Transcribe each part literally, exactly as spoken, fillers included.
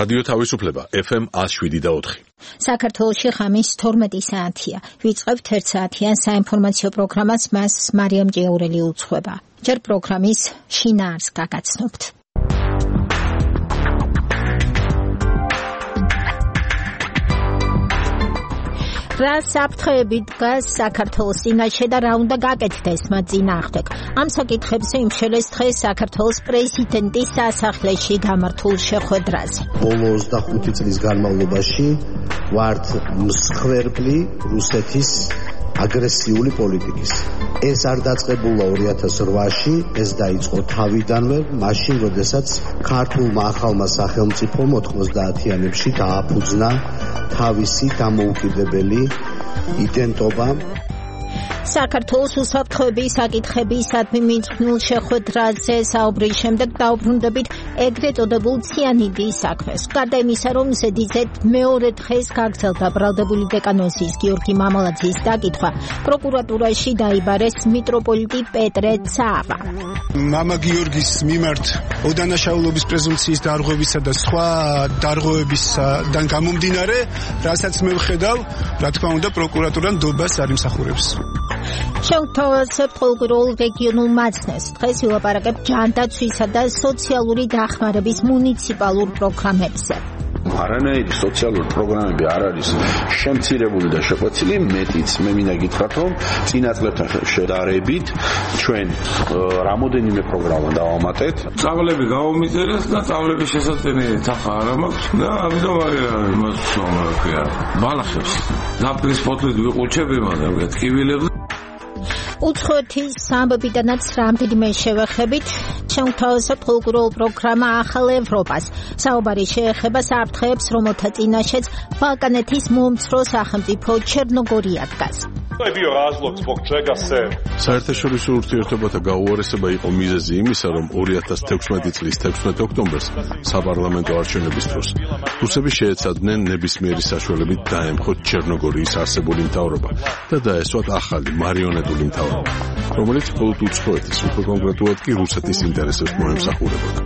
რადიო თავისუფლება ეფ ემ ნული შვიდი და ოთხი. საქართველოში ხამის თორმეტი საათია. ვიწყებთ ერთ საათიან საინფორმაციო პროგრამას, მას მარიამ ჭიაურელი უძღვება. ჯერ პროგრამის შინაარსს გაგაცნობთ. რა საფრთხეები დგას საქართველოს წინაშე და რა უნდა გაკეთდეს მათ წინააღმდეგ? ამ საკითხებზე იმშელეს დღეს საქართველოს პრეზიდენტის სასახლეში გამართულ შეხვედრაზე. ბოლო ოცდახუთი წლის განმავლობაში ვართ მსხვერპლი რუსეთის აგრესიული პოლიტიკის. ეს არ დაწყებულა ორი ათას რვაში, ეს დაიწყო თავიდანვე, მაშინ, როდესაც ქართულმა ახალმა სახელმწიფომ ოთხმოცდაათიანებში დააფუძნა თავისი დამოუკიდებელი იდენტობა. საქართველოს უსაფრთხოების საკითხებისადმი მიძღვნილ შეხვედრაზე საუბრის შემდეგ დაუბრუნდებით ეგრეთ წოდებულ ციანიდის საქმეს. გარდა იმისა, რომ ზედიზედ მეორე დღეს გაგრძელდა ბრალდებული დეკანოზის გიორგი მამალაძის დაკითხვა, პროკურატურაში დაიბარეს მიტროპოლიტი პეტრე ცაბა. მამა გიორგის მიმართ ოდანაშაულობის პრეზუმციის დარღვევისა და სხვა დარღვევებისგან გამომდინარე, რასაც მე ვხედავ, რა თქმა უნდა, პროკურატურა ნდობას არ იმსახურებს. შევთავაზებთ ყოველგვარულ რეგიონულ მაცნეს. დღეს ვილაპარაკებთ ჯანდაცვისა და სოციალური დახმარების მუნიციპალურ პროგრამებზე. არანაირი სოციალური პროგრამები არ არის შემცირებული და შეყვეცილი, მეტიც მე მინდა გითხრათ, რომ წინა წლებთან შედარებით ჩვენ რამოდენიმე პროგრამა დავამატეთ. წავლები გავამიწერეს და წავლების შესაძლებლობით ახლა არ მაქვს და ამიტომ იმას ვამარხია. ბალახებს ნაფრის ფოთლით ვიყუჩები, მაგრამ გეტკივილებს. უცხოეთის სამბობიდანაც რამდენიმე შევეხებით, შევთავაზებთ ყოველგვარულ პროგრამა ახალ ევროპას. საუბარი შეეხება საფრთხეებს, რომელთა წინაშეც ბალკანეთის მომცრო სახელმწიფო ჩერნოგორია დგას. საერთაშორისო ურთიერთობათა გაუარესება იყო მიზეზი იმისა, რომ ორი ათას თექვსმეტი წლის თექვსმეტ ოქტომბერს საპარლამენტო არჩევნების დროს რუსები შეეცადნენ ნებისმიერი საშუალებით დაემხოთ ჩერნოგორიის არსებული მთავრობა და დაესვათ ახალი მარიონეტული მთავრობა, რომელიც მხოლოდ უცხოეთის, უფრო კონკრეტულად კი რუსეთის ინტერესებს მოემსახურებოდა.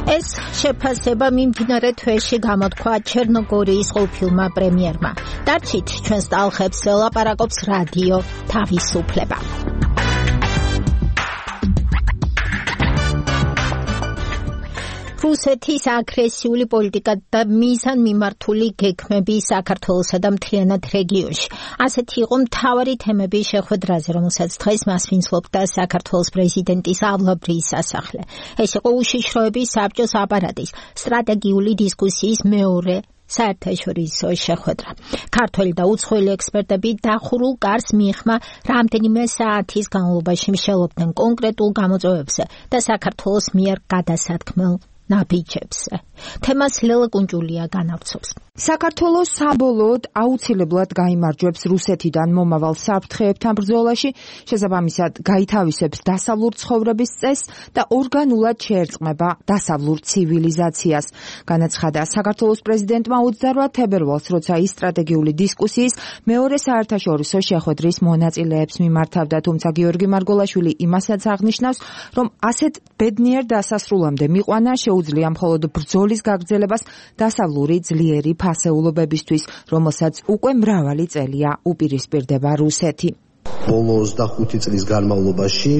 ეს შეფასება მიმდინარე თვეში გამოთქვა ჩერნოგორიის ყოფილმა პრემიერმა. დარჩით ჩვენს ტალღებს ლაპარაკობს რადიო თავისუფლება. რუსეთის აგრესიული პოლიტიკა და მიზანმიმართული გეგმები საქართველოსა და მთლიანად რეგიონში. ასეთი იყო მთავარი თემები შეხვედრაზე, რომელსაც დღეს მასვინცლობდა საქართველოს პრეზიდენტის ავლაბრის სასახლე. ეს იყო უშიშროების საბჭოს აპარატის სტრატეგიული დისკუსიის მეორე საერთაშორისო შეხვედრა. ქართველი და უცხოელი ექსპერტები დახურულ კარს მიიხმა რამდენიმე საათის განმავლობაში მსჯელობდნენ კონკრეტულ გამოწვევებზე და საქართველოს მიერ გადასათქმელ ნაბიჯებზე. თემას ლელა კუნჭულია განავრცობს. საქართველოს საბოლოოდ აუცილებლად გაიმარჯვებს რუსეთიდან მომავალ საფრთხეებთან ბრძოლაში, შესაბამისად გაითავისებს დასავლურ ცხოვრების წესს და ორგანულად შეერწყმება დასავლურ ცივილიზაციას. განაცხადა საქართველოს პრეზიდენტმა ოცდარვა თებერვალს, როცა ის სტრატეგიული დისკუსიის მეორე საერთაშორისო შეხვედრის მონაწილეებს მიმართავდა, თუმცა გიორგი მარგოლაშვილი იმასაც აღნიშნავს, რომ ასეთ ბედნიერ დასასრულამდე მიყვანა შეუძლია მხოლოდ ბრძოლის გაგრძელებას დასავლური ძლიერი ფასეულობებისთვის, რომელსაც უკვე მრავალი წელია უპირისპირდება რუსეთი. ბოლო ოცდახუთი წლის განმავლობაში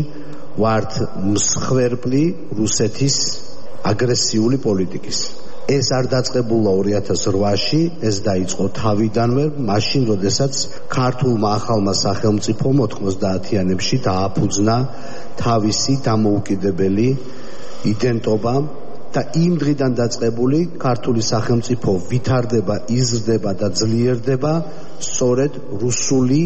ვართ მსხვერპლი რუსეთის აგრესიული პოლიტიკის. ეს არ დაწყებულა ორი ათას რვაში, ეს დაიწყო თავიდანვე, მაშინ, როდესაც ქართულმა ახალმა სახელმწიფომ ოთხმოცდაათიანებში დააფუძნა თავისი დამოუკიდებელი იდენტობა და იმ დღიდან დაწყებული ქართული სახელმწიფო ვითარდება, იზრდება და ძლიერდება სწორედ რუსული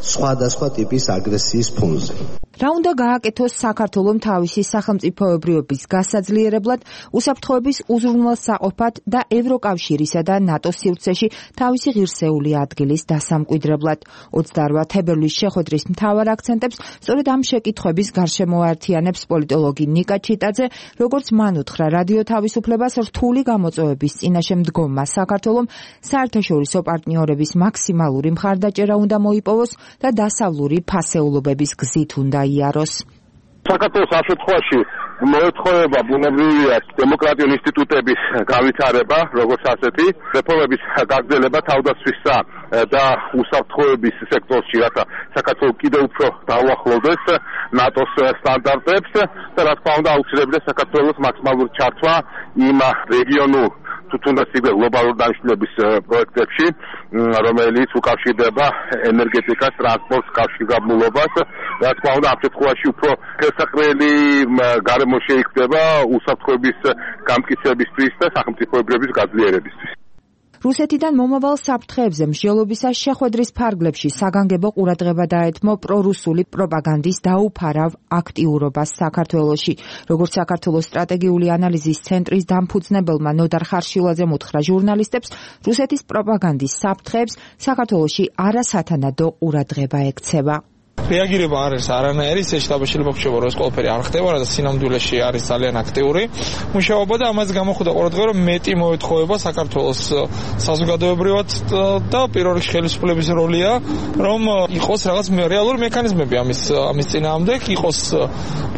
სხვადასხვა ტიპის აგრესიის ფონზე. რა უნდა გააკეთოს საქართველომ თავისი სახელმწიფოებრიობის გასაძლიერებლად, უსაფრთხოების უზრუნველსაყოფად და ევროკავშირისა და ნატოს სივრცეში თავისი ღირსეული ადგილის დასამკვიდრებლად. ოცდარვა თებერვლის შეხვედრის მთავარ აქცენტებს სწორედ ამ შეკითხვების გარშემო აერთიანებს პოლიტოლოგი ნიკა ჩიტაძე, როგორც მან უთხრა რადიო თავისუფლებას, რთული გამოწვევების წინაშე მდგომმა საქართველომ საერთაშორისო პარტნიორების მაქსიმალური მხარდაჭერა უნდა მოიპოვოს და დასავლური ფასეულობების გზით უნდა იაროს. საქართველოს ამ შემთხვევაში მოეთხოვება ბუნებრივია დემოკრატიული ინსტიტუტების განვითარება, როგორც ასეთი, რეფორმების გაგრძელება თავდაცვისა და უსაფრთხოების სექტორში, რათა საქართველო კიდევ უფრო დაუახლოვდეს ნატოს სტანდარტებს და რა თქმა უნდა აუცილებელია საქართველოს მაქსიმალური ჩართვა იმ რეგიონულ თუნდაც იგივე გლობალური დანიშნულების პროექტებში, რომელიც უკავშირდება ენერგეტიკას, ტრანსპორტს, კავშირგაბმულობას. რა თქმა უნდა, ამ შემთხვევაში უფრო ხელსაყრელი გარემო შეიქმნება უსაფრთხოების გამტკიცებისთვის და სახელმწიფოებრების გაძლიერებისთვის. რუსეთიდან მომავალ საფრთხეებზე მსჯელობისას შეხვედრის ფარგლებში საგანგებო ყურადღება დაეთმო პრორუსული პროპაგანდის დაუფარავ აქტიურობას საქართველოში. როგორც საქართველოს სტრატეგიული ანალიზის ცენტრის დამფუძნებელმა ნოდარ ხარშილაძემ უთხრა ჟურნალისტებს, რუსეთის პროპაგანდის საფრთხეებს საქართველოში არასათანადო ყურადღება ექცევა. რეაგირება არ არის არანაირი, ეს შტაბში მოხდება, რომ ეს ყველაფერი არ ხდება, რათა სინამდვილეში არის ძალიან აქტიური მუშაობა და ამას გამოხდა ყურადღება, რომ მეტი მოეთხოვება საქართველოს საზოგადოებრივად და პირველ რიგში ხელისუფლების როლია, რომ იყოს რაღაც რეალური მექანიზმები ამის ამის წინააღმდეგ, იყოს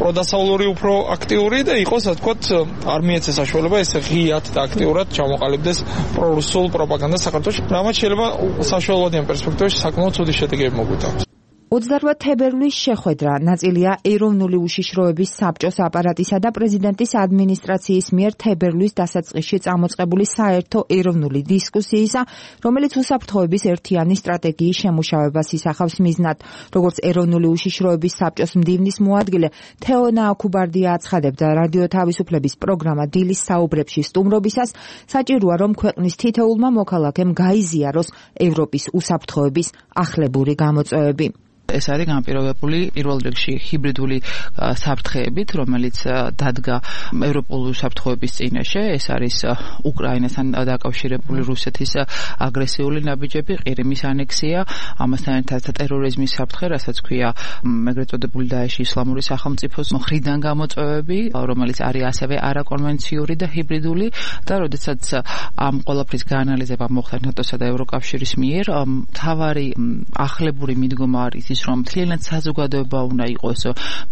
პროდასავლური უფრო აქტიური და იყოს, ასე ვთქვათ, არ მიეცეს საშუალება ეს ღიად და აქტიურად ჩამოყალიბდეს პრორუსულ პროპაგანდას საქართველოში. რამაც შეიძლება საშუალოვადიან პერსპექტივაში საკმაოდ ცუდი შედეგები მოგვიტანოს. ოცდაოთხ თებერვლის შეხვედრა ნაწილია ეროვნული უშიშროების საბჭოს აპარატისა და პრეზიდენტის ადმინისტრაციის მიერ თებერვლის დასაწყისში წამოწყებული საერთო ეროვნული დისკუსიისა, რომელიც უსაფრთხოების ერთიანი სტრატეგიის შემუშავებას ისახავს მიზნად. როგორც ეროვნული უშიშროების საბჭოს მდივნის მოადგილე თეონა აქუბარდია აცხადებდა რადიო თავისუფლების პროგრამა დილის საუბრებში სტუმრობისას, საჭიროა რომ ქვეყნის თითოეულმა მოქალაქემ გაიზიაროს ევროპის უსაფრთხოების ახლებური გამოწვევები. ეს არის განპირობებული პირველ რიგში ჰიბრიდული საფრთხეებით, რომელიც დადგა ევროპული საფრთხეების წინაშე. ეს არის უკრაინასთან დაკავშირებული რუსეთის აგრესიული ნაბიჯები, ყირიმის ანექსია, ამასთან ერთად ტერორიზმის საფრთხე, რასაც ქვია ეგრეთ წოდებული დაეშის ისლამური სახელმწიფოს მხრიდან გამოწვევები, რომელიც არის ასევე არაკონვენციური და ჰიბრიდული და როდესაც ამ ყველაფრის გაანალიზება მოხდა ნატოსა და ევროკავშირის მიერ, მთავარი ახლებური მიდგომა არის რომ მთლიანად საზოგადოება უნდა იყოს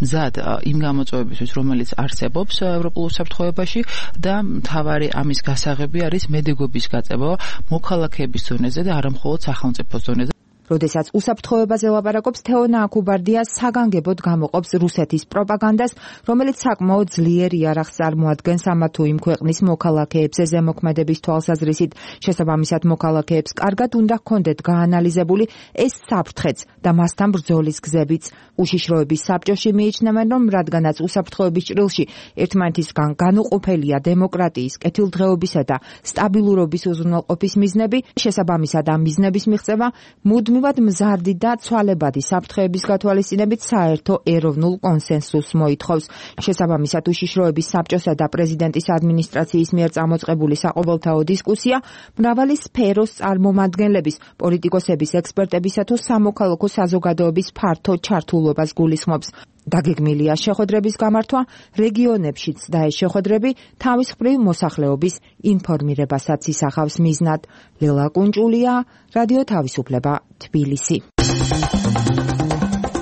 მზად იმ გამოწვევებისთვის, რომელიც არსებობს ევროპულ უსაფრთხოებაში და მთავარი ამის გასაღები არის მედეგობის გაწევა მოქალაქეების ზონაზე და არა მხოლოდ სახელმწიფოს ზონაზე. როდესაც უსაფრთხოებაზე ლაპარაკობს, თეონა აქუბარდია საგანგებოდ გამოყოფს რუსეთის პროპაგანდას, რომელიც საკმაოდ ძლიერ იარაღს წარმოადგენს ამა თუ იმ ქვეყნის მოქალაქეებზე ზემოქმედების თვალსაზრისით. შესაბამისად, მოქალაქეებს კარგად უნდა ჰქონდეთ გაანალიზებული ეს საფრთხეც და მასთან ბრძოლის გზებიც. უშიშროების საბჭოში მიიჩნევენ, რომ რადგანაც უსაფრთხოების ჭრილში ერთმანეთისგან განუყოფელია დემოკრატიის, კეთილდღეობისა და სტაბილურობის უზრუნველყოფის მიზნები, შესაბამისად ამ მიზნების მიღწევა მუდმივად მზარდი და ცვალებადი საფრთხეების გათვალისწინებით საერთო ეროვნულ კონსენსუსს მოითხოვს. შესაბამისად, უშიშროების საბჭოსა და პრეზიდენტის ადმინისტრაციის მიერ წამოწყებული საყოველთაო დისკუსია მრავალი სფეროს წარმომადგენლების, პოლიტიკოსების, ექსპერტებისა თუ სამოქალაქო საზოგადოების ფართო ჩართულობას გულისხმობს. დაგეგმილია შეხვედრების გამართვა რეგიონებშიც და ეს შეხვედრები თავის მხრივ მოსახლეობის ინფორმირებასაც ისახავს მიზნად. ლელა კუნჭულია, რადიო თავისუფლება, თბილისი.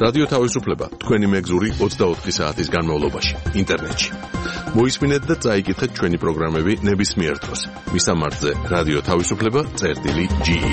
რადიო თავისუფლება თქვენი მეგზური ოცდაოთხი საათის განმავლობაში ინტერნეტში. მოისმინეთ და წაიკითხეთ ჩვენი პროგრამები ნებისმიერ დროს. მისამართზე რადიო თავისუფლება წერტილი ჯი ი.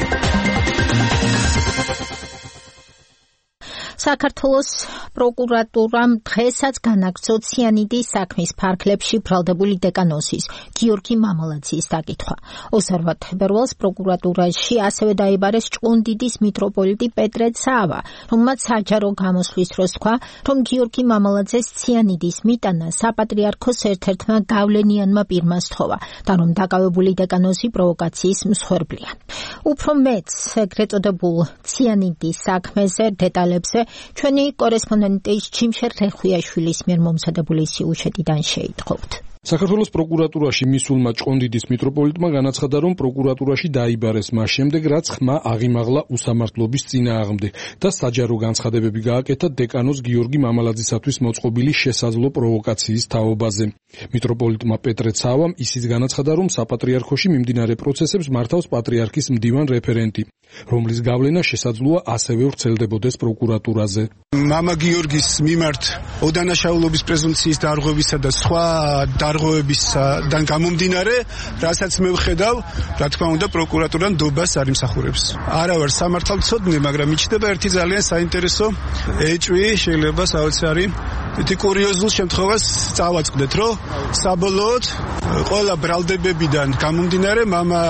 საქართველოს პროკურატურამ დღესაც განაგრძო ციანიდის საქმის ფარგლებში ბრალდებული დეკანოზის გიორგი მამალაძის დაკითხვა. ოცდაოთხ თებერვალს პროკურატურაში ასევე დაიბარეს ჭყონდიდის მიტროპოლიტი პეტრე ცავა, რომელმაც საჯარო გამოსვლის დროს თქვა, რომ გიორგი მამალაძეს ციანიდის მიტანა საპატრიარქოს ერთ-ერთმა გავლენიანმა პირმა სთხოვა და რომ დაკავებული დეკანოზი პროვოკაციის მსხვერპლია. უფრო მეც ეგრეთ წოდებულ ციანიდის საქმეზე დეტალებზე ჩვენი კორესპონდენტის ჩიმშერ რეხვიაშვილის მიერ მომზადებული სიუჟეტიდან შეიტყობთ. საქართველოს პროკურატურაში მისულმა ჭყონდიდის მიტროპოლიტმა განაცხადა, რომ პროკურატურაში დაიბარეს მას შემდეგ, რაც ხმა აღიმაღლა უსამართლობის წინააღმდეგ და საჯარო განცხადებები გააკეთა დეკანოზ გიორგი მამალაძისათვის მოწყობილი შესაძლო პროვოკაციის თაობაზე. მიტროპოლიტმა პეტრე ცავამ ისიც განაცხადა, რომ საპატრიარქოში მიმდინარე პროცესებს მართავს პატრიარქის მდივან რეფერენტი, რომლის გავლენა შესაძლოა ასევე ვრცელდებოდეს პროკურატურაზე. მამა გიორგის მიმართ ოდანაშაულობის პრეზუმპციის დარღვევისა და სხვა დარღვევებისგან გამომდინარე, რასაც მე ვხედავ, რა თქმა უნდა, პროკურატურა ნდობას არ იმსახურებს. არა ვარ სამართალმცოდნე, მაგრამ მიჩნდება ერთი ძალიან საინტერესო ეჭვი, შეიძლება საოცარი თითი კურიოზულ შემთხვევას წავაწყდეთ, რომ საბოლოოდ ყველა ბრალდებებიდან გამომდინარე, მამა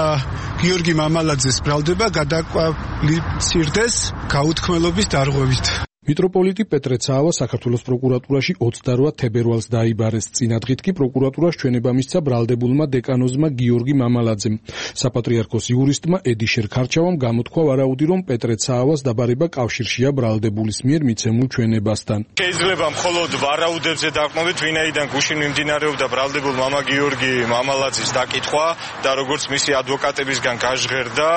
გიორგი მამალაძეს ბრალდება გადაკვალიფიცირდეს გაუთქმელობის დარღვევით. მიტროპოლიტი პეტრე ცავა საქართველოს პროკურატურაში ოცდარვა თებერვალს დაიბარეს. წინადღით კი პროკურატურას ჩვენება მისცა ბრალდებულმა დეკანოზმა გიორგი მამალაძემ. საპატრიარქოს იურისტმა ედიშერ ქარჩავამ გამოთქვა ვარაუდი, რომ პეტრე ცავას დაბარება კავშირშია ბრალდებულის მიერ მიცემულ ჩვენებასთან. შეიძლება მხოლოდ ვარაუდებზე დაყრდნობით, ვინაიდან გუშინ მიმდინარეობდა ბრალდებულ მამა გიორგი მამალაძის დაკითხვა და როგორც მისი ადვოკატებისგან გაჟღერდა,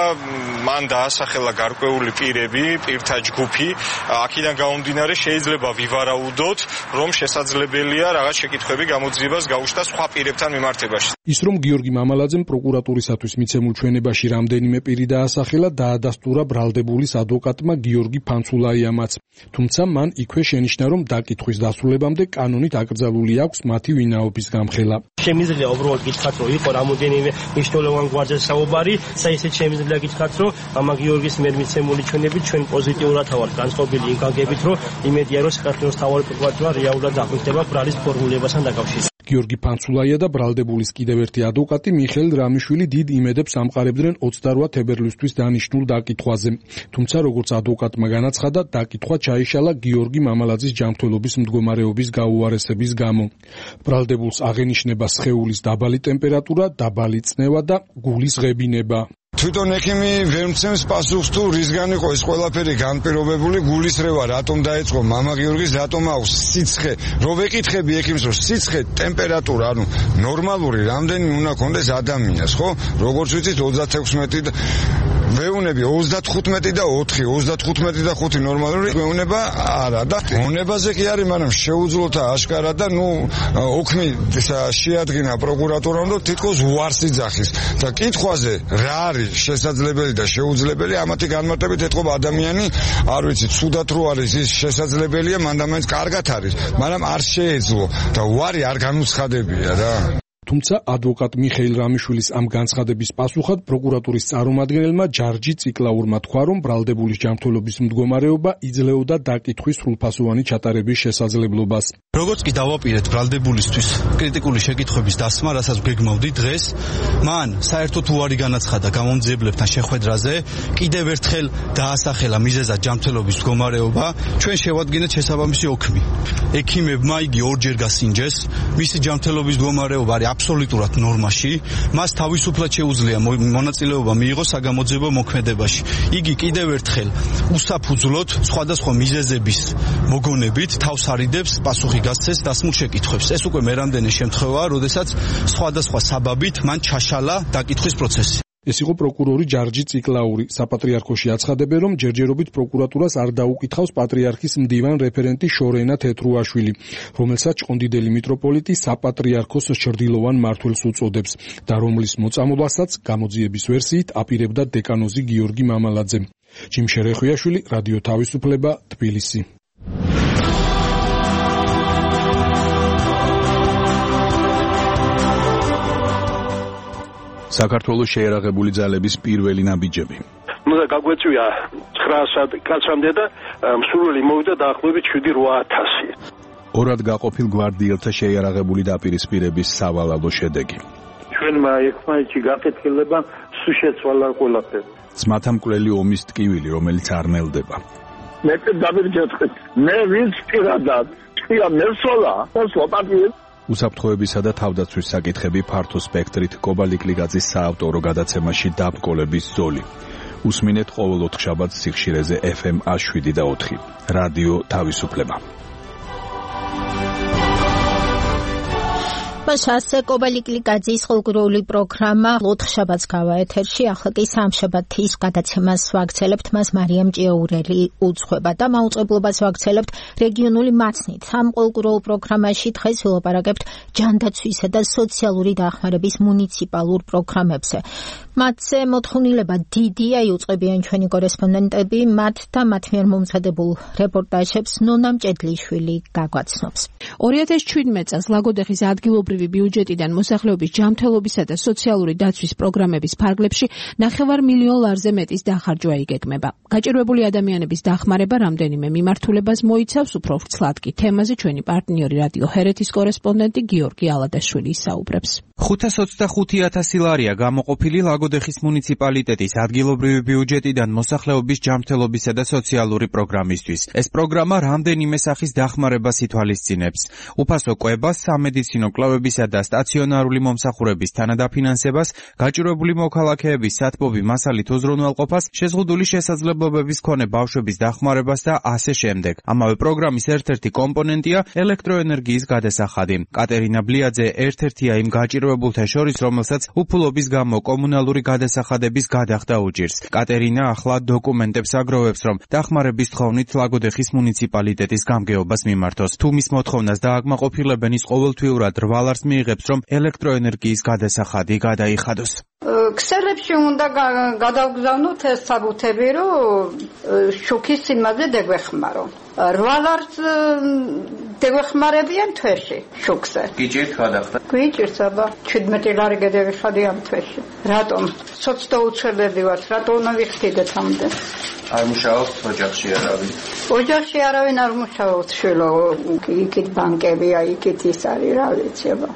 მან დაასახელა გარკვეული პირები, პირთა ჯგუფი. აქედან გამომდინარე შეიძლება ვივარაუდოთ, რომ შესაძლებელია რაღაც შეკითხვები გამოძიებას გაუჩნდა სხვა პირებთან მიმართებაში. ის რომ გიორგი მამალაძემ პროკურატურისათვის მიცემულ ჩვენებაში რამდენიმე პირი დაასახელა, დაადასტურა ბრალდებულის ადვოკატმა გიორგი ფანცულაიამაც. თუმცა მან იქვე შენიშნა, რომ დაკითხვის დასრულებამდე კანონით აკრძალული აქვს მათი ვინაობის გამხელა. შემიძლია უბრალოდ გითხრათ, რომ იყო რამოდენიმე მნიშვნელოვან გვარზე საუბარი, საერთოდ შემიძლია გითხრათ, რომ მამა გიორგის მიერ მიცემული ჩვენები ჩვენ პოზიტიურად ვართ განწყობილი იმ გაგებით, რომ იმედია, რომ საქართველოს მთავარი პროკურატურა რეალურად აღნიშნება ბრალის ფორმულებასთან დაკავშირებით. გიორგი ფანცულაია და ბრალდებულის კიდევ ერთი ადვოკატი მიხეილ რამიშვილი დიდ იმედებს ამყარებდნენ ოცდარვა თებერვლისთვის დანიშნულ დაკითხვაზე. თუმცა როგორც ადვოკატმა განაცხადა, დაკითხვა ჩაიშალა გიორგი მამალაძის ჯანმრთელობის მდგომარეობის გაუარესების გამო. ბრალდებულს აღენიშნება სხეულის დაბალი ტემპერატურა, დაბალი წნევა და გულის ღებინება. თვითონ ექიმი ვერ მცემს პასუხს თუ რისგან იყო ეს ყველაფერი განპირობებული, გულისრევა რატომ დაიწყო მამა გიორგის, რატომ აქვს სიცხე, რო ვეკითხები ექიმს, რომ სიცხე, ტემპერატურა, ანუ ნორმალური რამდენი უნდა კონდეს ადამიანს, ხო? როგორც ვიცით ოცდათექვსმეტი და ვეუნები ოცდათხუთმეტი და ოთხი, ოცდათხუთმეტი და ხუთი ნორმალური ვეუნება არა და მონებაზე კი არის, მაგრამ შეუძლოთა აშკარა და ნუ ოქმი შეადგინა პროკურატურამ და თითქოს უარს იძახის და კითხვაზე რა არის შესაძლებელი და შეუძლებელი, ამათი განმარტებით ეთყობა ადამიანი, არ ვიცი, ცუდად რო არის ის შესაძლებელია, მანდამაინც კარგად არის, მაგრამ არ შეეძლო და უარი არ განუცხადებია რა. თუმცა ადვოკატ მიხეილ რამიშვილის ამ განცხადების პასუხად პროკურატურის წარმომადგენელმა ჯარჯი ციკლაურმა თქვა, რომ ბრალდებულის ჯანმრთელობის მდგომარეობა იძლეოდა დაკითხვის სრულფასოვანი ჩატარების შესაძლებლობას. როგორც კი დავაპირეთ ბრალდებულისთვის კრიტიკული შეკითხვების დასმა, რასაც გეგმავდი დღეს, მან საერთოდ უარი განაცხადა გამომძიებლებთან შეხვედრაზე, კიდევ ერთხელ დაასახელა მიზეზად ჯანმრთელობის მდგომარეობა, ჩვენ შევადგენთ შესაბამისი ოქმი. ექიმებმა იგი ორჯერ გასინჯეს, მისი ჯანმრთელობის მდგომარეობა არის აბსოლუტურად ნორმაში, მას თავისუფლად შეუძლია მონაწილეობა მიიღოს საგამოძიებო მოქმედებაში. იგი კიდევ ერთხელ უსაფუძვლოდ სხვადასხვა მიზეზების მოგონებით თავს არიდებს პასუხი გასცეს დასმულ შეკითხვებს. ეს უკვე მერამდენი შემთხვევაა, როდესაც სხვადასხვა საბაბით მან ჩაშალა დაკითხვის პროცესი. ეს იყო პროკურორი ჯარჯი ციკლაური. საპატრიარქოში აცხადებენ, რომ ჯერჯერობით პროკურატურას არ დაუკითხავს პატრიარქის მდივან რეფერენტი შორენა თეთრუაშვილი, რომელსაც ჭყონდიდელი მიტროპოლიტი საპატრიარქოს ჩრდილოვან მმართველს უწოდებს და რომლის მოწამობასაც გამოძიების ვერსიით აპირებდა დეკანოზი გიორგი მამალაძე. ჯიმშე რეხვიაშვილი, რადიო თავისუფლება, თბილისი. საქართველოს შეერაღებული ძალების პირველი ნაბიჯები. ნუ და გაგვეწვია ცხრა კაცამდე და მსურველი მოვიდა დაახლოებით შვიდი რვა ათასი. ორად გაყოფილ გვარდიელთა შეერაღებული დაპირისპირების სავალალო შედეგი. ჩვენმა ერთმანეთში გაკეთილება სულ შეცვალა ყველაფერი. ძმათა მკვლელი ომის ტკივილი, რომელიც არ ნელდება. მე დავირჯეთხეთ. მე ვინც პირადად თქვია მესოლა, მოსლა პატიეს უსაფრთხოებისა და თავდაცვის საკითხები ფართო სპექტრით კობალიკლიგაძის საავტორო გადაცემაში დაბრკოლების ზოლი. უსმინეთ ყოველ ოთხშაბათს სიხშირეზე ეფ ემ შვიდი და ოთხი. რადიო თავისუფლება. Așa, Կոբալիկլիկաձის խորգրոլի պրոգրամը լոթշաբաց գավա եթերში ახლა კი სამშაბათის გადაცემას ვაგრძელებთ მას მარიამ ჭიაურელი უძღვება და მაუწყებლობას ვაგრძელებთ რეგიონული მაცნით. ამ ხორგროლ პროგრამაში დღეს ვილაპარაკებთ ჯანდაცვისა და სოციალური დახმარების მუნიციპალურ პროგრამებზე. მათზე მოთხოვნილება დიდია, იუწყებიან ჩვენი კორესპონდენტები, მათ და მათ მიერ მომზადებულ რეპორტაჟებს ნონა მჭედლიშვილი გაგვაცნობს. ორი ათას შვიდმეტ წელს ლაგოდეხის ადგილობრივი ბიუჯეტიდან მოსახლეობის ჯანმრთელობისა და სოციალური დაცვის პროგრამების ფარგლებში ნახევარ მილიონ ლარზე მეტის დახარჯვა იგეგმება. გაჭირვებული ადამიანების დახმარება რამდენიმე მიმართულებას მოიცავს, უფრო ვრცლად კი თემაზე ჩვენი პარტნიორი რადიო ჰერეთის კორესპონდენტი გიორგი ალადაშვილი ისაუბრებს. ხუთას ოცდახუთი ათასი ლარია გამოყოფილი ლაგოდეხის მუნიციპალიტეტის ადგილობრივი ბიუჯეტიდან მოსახლეობის ჯანმრთელობისა და სოციალური პროგრამისთვის. ეს პროგრამა რამდენიმე სახის დახმარებას ითვალისწინებს. უფასო კვებას, სამედიცინო კვლევებისა და სტაციონარული მომსახურების თანადაფინანსებას, გაჭირვებული მოქალაქეების სათბობი მასალით უზრუნველყოფას, შეზღუდული შესაძლებლობების მქონე ბავშვების დახმარებას და ასე შემდეგ. ამავე პროგრამის ერთ-ერთი კომპონენტია ელექტროენერგიის გადასახადი. კატერინა ბლიაძე ერთ-ერთია იმ გაჭირვებულთა შორის, რომელსაც უფულობის გამო კომუნალური გადასახადების გადახდა უჭირს. კატერინა ახლა დოკუმენტებს აგროვებს, რომ დახმარების თხოვნით ლაგოდეხის მუნიციპალიტეტის გამგეობას მიმართოს. თუ მის მოთხოვნას დააკმაყოფილებენ, ის ყოველთვიურად რვალარს მიიღებს, რომ ელექტროენერგიის გადასახადი გადაიხადოს. ქსელებში უნდა გადავგზავნოთ ეს საბუთები, რომ შუქის სიმაზე დაგვეხმარო. რვალარს დაგვეხმარებიან თვეში შუქზე. გიჭირთ გადახდა? გიჭირთ, აბა შვიდმეტი ლარი გადავიხადი ამ თვეში. რატომ? სოცდა უცველები ვართ, რატომ უნდა ვიხდიდეთ ამდე? არ მუშაობთ ოჯახში არავინ? ოჯახში არავინ არ მუშაობს, შვილო, იქით ბანკებია, იქით ის არის, რა ვიცი, აბა.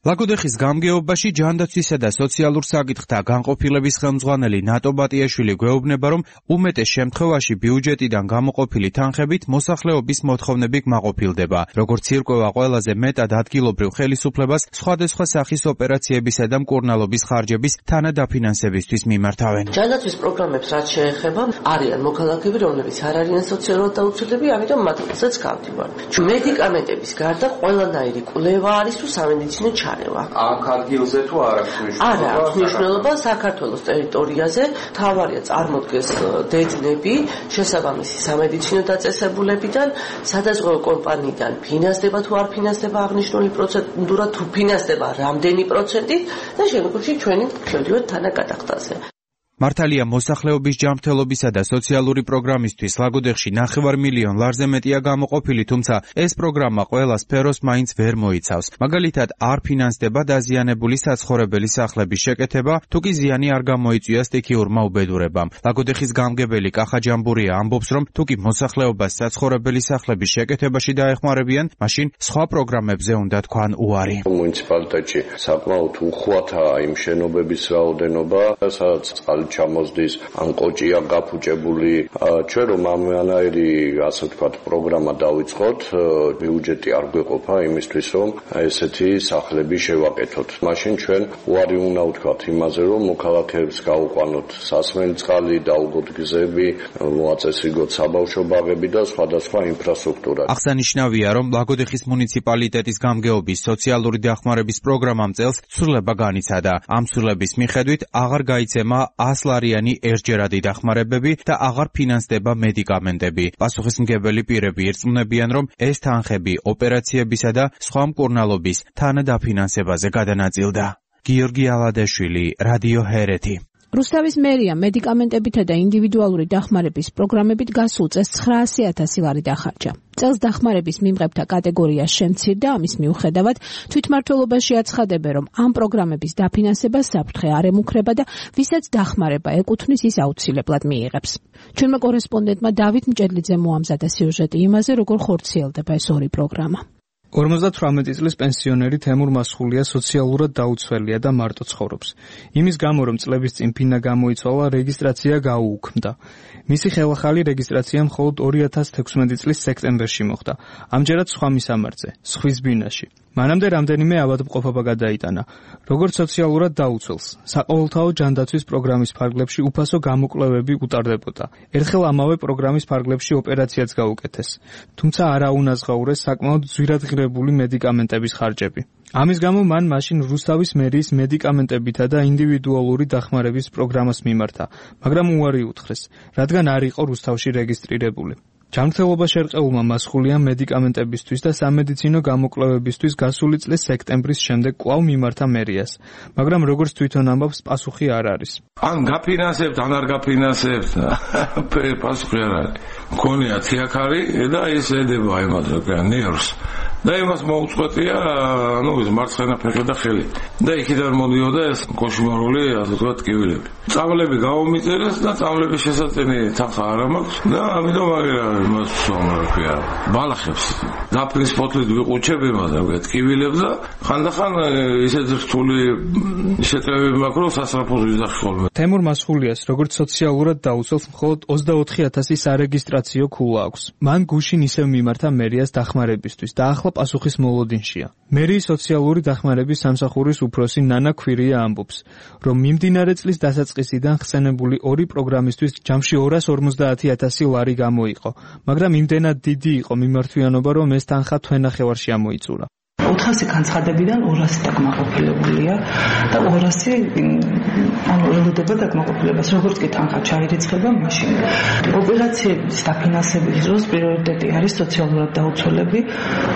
ლაგოდეხის გამგეობაში ჯანდაცვისა და სოციალურ საკითხთა განყოფილების ხელმძღვანელი ნატო ბატიაშვილი გვეუბნება, რომ უმეტეს შემთხვევაში ბიუჯეტიდან გამოყოფილი თანხებით მოსახლეობის მოთხოვნები კმაყოფილდება. როგორც ირკვევა, ყველაზე მეტად ადგილობრივ ხელისუფლებას სხვადასხვა სახის ოპერაციებისა და მკურნალობის ხარჯების თანადაფინანსებისთვის მიმართავენ. ჯანდაცვის პროგრამებს რაც შეეხება, არიან მოქალაქეები, რომლებიც არ არიან სოციალურად დაუცველები, ამიტომ მათაც გავდივართ. მედიკამენტების გარდა ყველანაირი კვლევა არის თუ სამედიცინო აქ ადგილზე თუ არ აქვს მნიშვნელობა? არა, აქვს მნიშვნელობა საქართველოს ტერიტორიაზე. თავარია წარმოდგეს დედნები შესაბამისი სამედიცინო დაწესებულებიდან, სადაზღვევო კომპანიიდან ფინანსდება თუ არ ფინანსდება აღნიშნული პროცედურა, თუ ფინანსდება რამდენი პროცენტით და შემდგომში ჩვენი შევდივართ თანაგადახდაზე. მართალია მოსახლეობის ჯანმრთელობისა და სოციალური პროგრამისთვის ლაგოდეხში ნახევარ მილიონ ლარზე მეტია გამოყოფილი, თუმცა ეს პროგრამა ყველა სფეროს მაინც ვერ მოიცავს. მაგალითად, არ ფინანსდება დაზიანებული საცხოვრებელი სახლების შეკეთება, თუ კი ზიანი არ გამოიწვია სტიქიურმა უბედურებამ. ლაგოდეხის გამგებელი კახა ჯამბურია ამბობს, რომ თუ კი მოსახლეობას საცხოვრებელი სახლების შეკეთებაში დაეხმარებიან, მაშინ სხვა პროგრამებზე უნდა თქვან უარი. მუნიციპალიტეტში საკმაოდ უხვათაა იმ შენობების რაოდენობა, სადაც წყალი ჩამოსდის, ან კოჭია გაფუჭებული. ჩვენ რომ ამანაირი, ასე ვთქვათ, პროგრამა დავიწყოთ, ბიუჯეტი არ გვეყოფა იმისთვის, რომ ესეთი სახლები შევაკეთოთ. მაშინ ჩვენ უარი უნდა ვთქვათ იმაზე, რომ მოქალაქეებს გაუყვანოთ სასმელი წყალი, დაუგოთ გზები, მოაწესრიგოთ საბავშვო ბაღები და სხვადასხვა ინფრასტრუქტურა. აღსანიშნავია, რომ ლაგოდეხის მუნიციპალიტეტის გამგეობის სოციალური დახმარების პროგრამამ წელს ცვლილება განიცადა. ამ ცვლილების მიხედვით აღარ გაიცემა ასლარიანი ერთჯერადი დახმარებები და აღარ ფინანსდება მედიკამენტები. პასუხისმგებელი პირები ირწმუნებიან, რომ ეს თანხები ოპერაციებისა და სხვა მკურნალობის თანადაფინანსებაზე გადანაწილდა. გიორგი ალადაშვილი, რადიო ჰერეთი. რუსთავის მერია მედიკამენტებითა და ინდივიდუალური დახმარების პროგრამებით გასულ წელს ცხრაასი ათასი ლარი დახარჯა. წელს დახმარების მიმღებთა კატეგორია შემცირდა, ამის მიუხედავად თვითმმართველობაში აცხადებენ, რომ ამ პროგრამების დაფინანსება საფრთხე არ ემუქრება და ვისაც დახმარება ეკუთვნის, ის აუცილებლად მიიღებს. ჩვენმა კორესპონდენტმა დავით მჭედლიძემ მოამზადა სიუჟეტი იმაზე, როგორ ხორციელდება ეს ორი პროგრამა. ორმოცდათვრამეტი წლის პენსიონერი თემურ მასხულია სოციალურად დაუცველია და მარტო ცხოვრობს. იმის გამო, რომ წლების წინ ფინა გამოიცვალა, რეგისტრაცია გაუუქმდა. მისი ხელახალი რეგისტრაცია მხოლოდ ორი ათას თექვსმეტი წლის სექტემბერში მოხდა. ამჯერად სხვა მისამართზე, სხვის ბინაში. მანამდე რამდენიმე ავადმყოფობა გადაიტანა. როგორც სოციალურად დაუცველს, საყოველთაო ჯანდაცვის პროგრამის ფარგლებში უფასო გამოკვლევები უტარდებოდა. ერთხელ ამავე პროგრამის ფარგლებში ოპერაციაც გაუკეთეს. თუმცა არა უნაზღაურეს საკმაოდ ძვირადღირებული რეგისტრირებული მედიკამენტების ხარჯები. ამის გამო მან მაშინ რუსთავის მერიის მედიკამენტებითა და ინდივიდუალური დახმარების პროგრამას მიმართა, მაგრამ უარი უთხრეს, რადგან არ იყო რუსთავში რეგისტრირებული. ჯანმრთელობა შერყეულმა მასხულია მედიკამენტებისთვის და სამედიცინო გამოკვლევებისთვის გასული წლის სექტემბრის შემდეგ კვლავ მიმართა მერიას, მაგრამ როგორც თვითონ ამბობს, პასუხი არ არის. ან გაფინანსებთ, ან არ გაფინანსებთ, პასუხი არ არის. მქონია თიაქარი და ეს ედება იმას ნერვს. და იმას მოუწყვეტია, ну, ეს მარცხენა ფეხი და ხელი. და იქიდან მოდიოდა ეს კოშმარული, ასე ვთქვათ, ტკივილები. წამლები გავომიწერეს და წამლების შესაწენი თანხა არ მაქვს და ამიტომ აღარა იმას ვსვამრაფია. ბალახებს დაფრის ფოთლით ვიყუჩებ იმას, რა ტკივილებს და ხანდახან ისეთ რთული შეტევები მაქვს, რომ სასწრაფოს ვიზახი ხოლმე. თემურ მასხულიას როგორც სოციალურად დაუცველს მხოლოდ ოცდაოთხი ათასი სარეგისტრაციო ქულა აქვს. მან გუშინ ისევ მიმართა მერიას დახმარებისთვის და ახლა პასუხის მოლოდინშია. მერიის სოციალური დახმარების სამსახურის უფროსი ნანა ქვირია ამბობს, რომ მიმდინარე წლის დასაწყისიდან ხსენებული ორი პროგრამისთვის ჯამში ორას ორმოცდაათი ათასი ლარი გამოიყო, მაგრამ იმდენად დიდი იყო მიმართვიანობა, რომ ეს თანხა თვენახევარში ამოიწურა. ოთხასი განცხადებიდან ორასი დაკმაყოფილებულია და ორასი ანუ ელოდება დაკმაყოფილებას, როგორც კი თანხა ჩაირიცხება მაშინ. ოპერაციების დაფინანსების დროს პრიორიტეტი არის სოციალურად დაუცველები,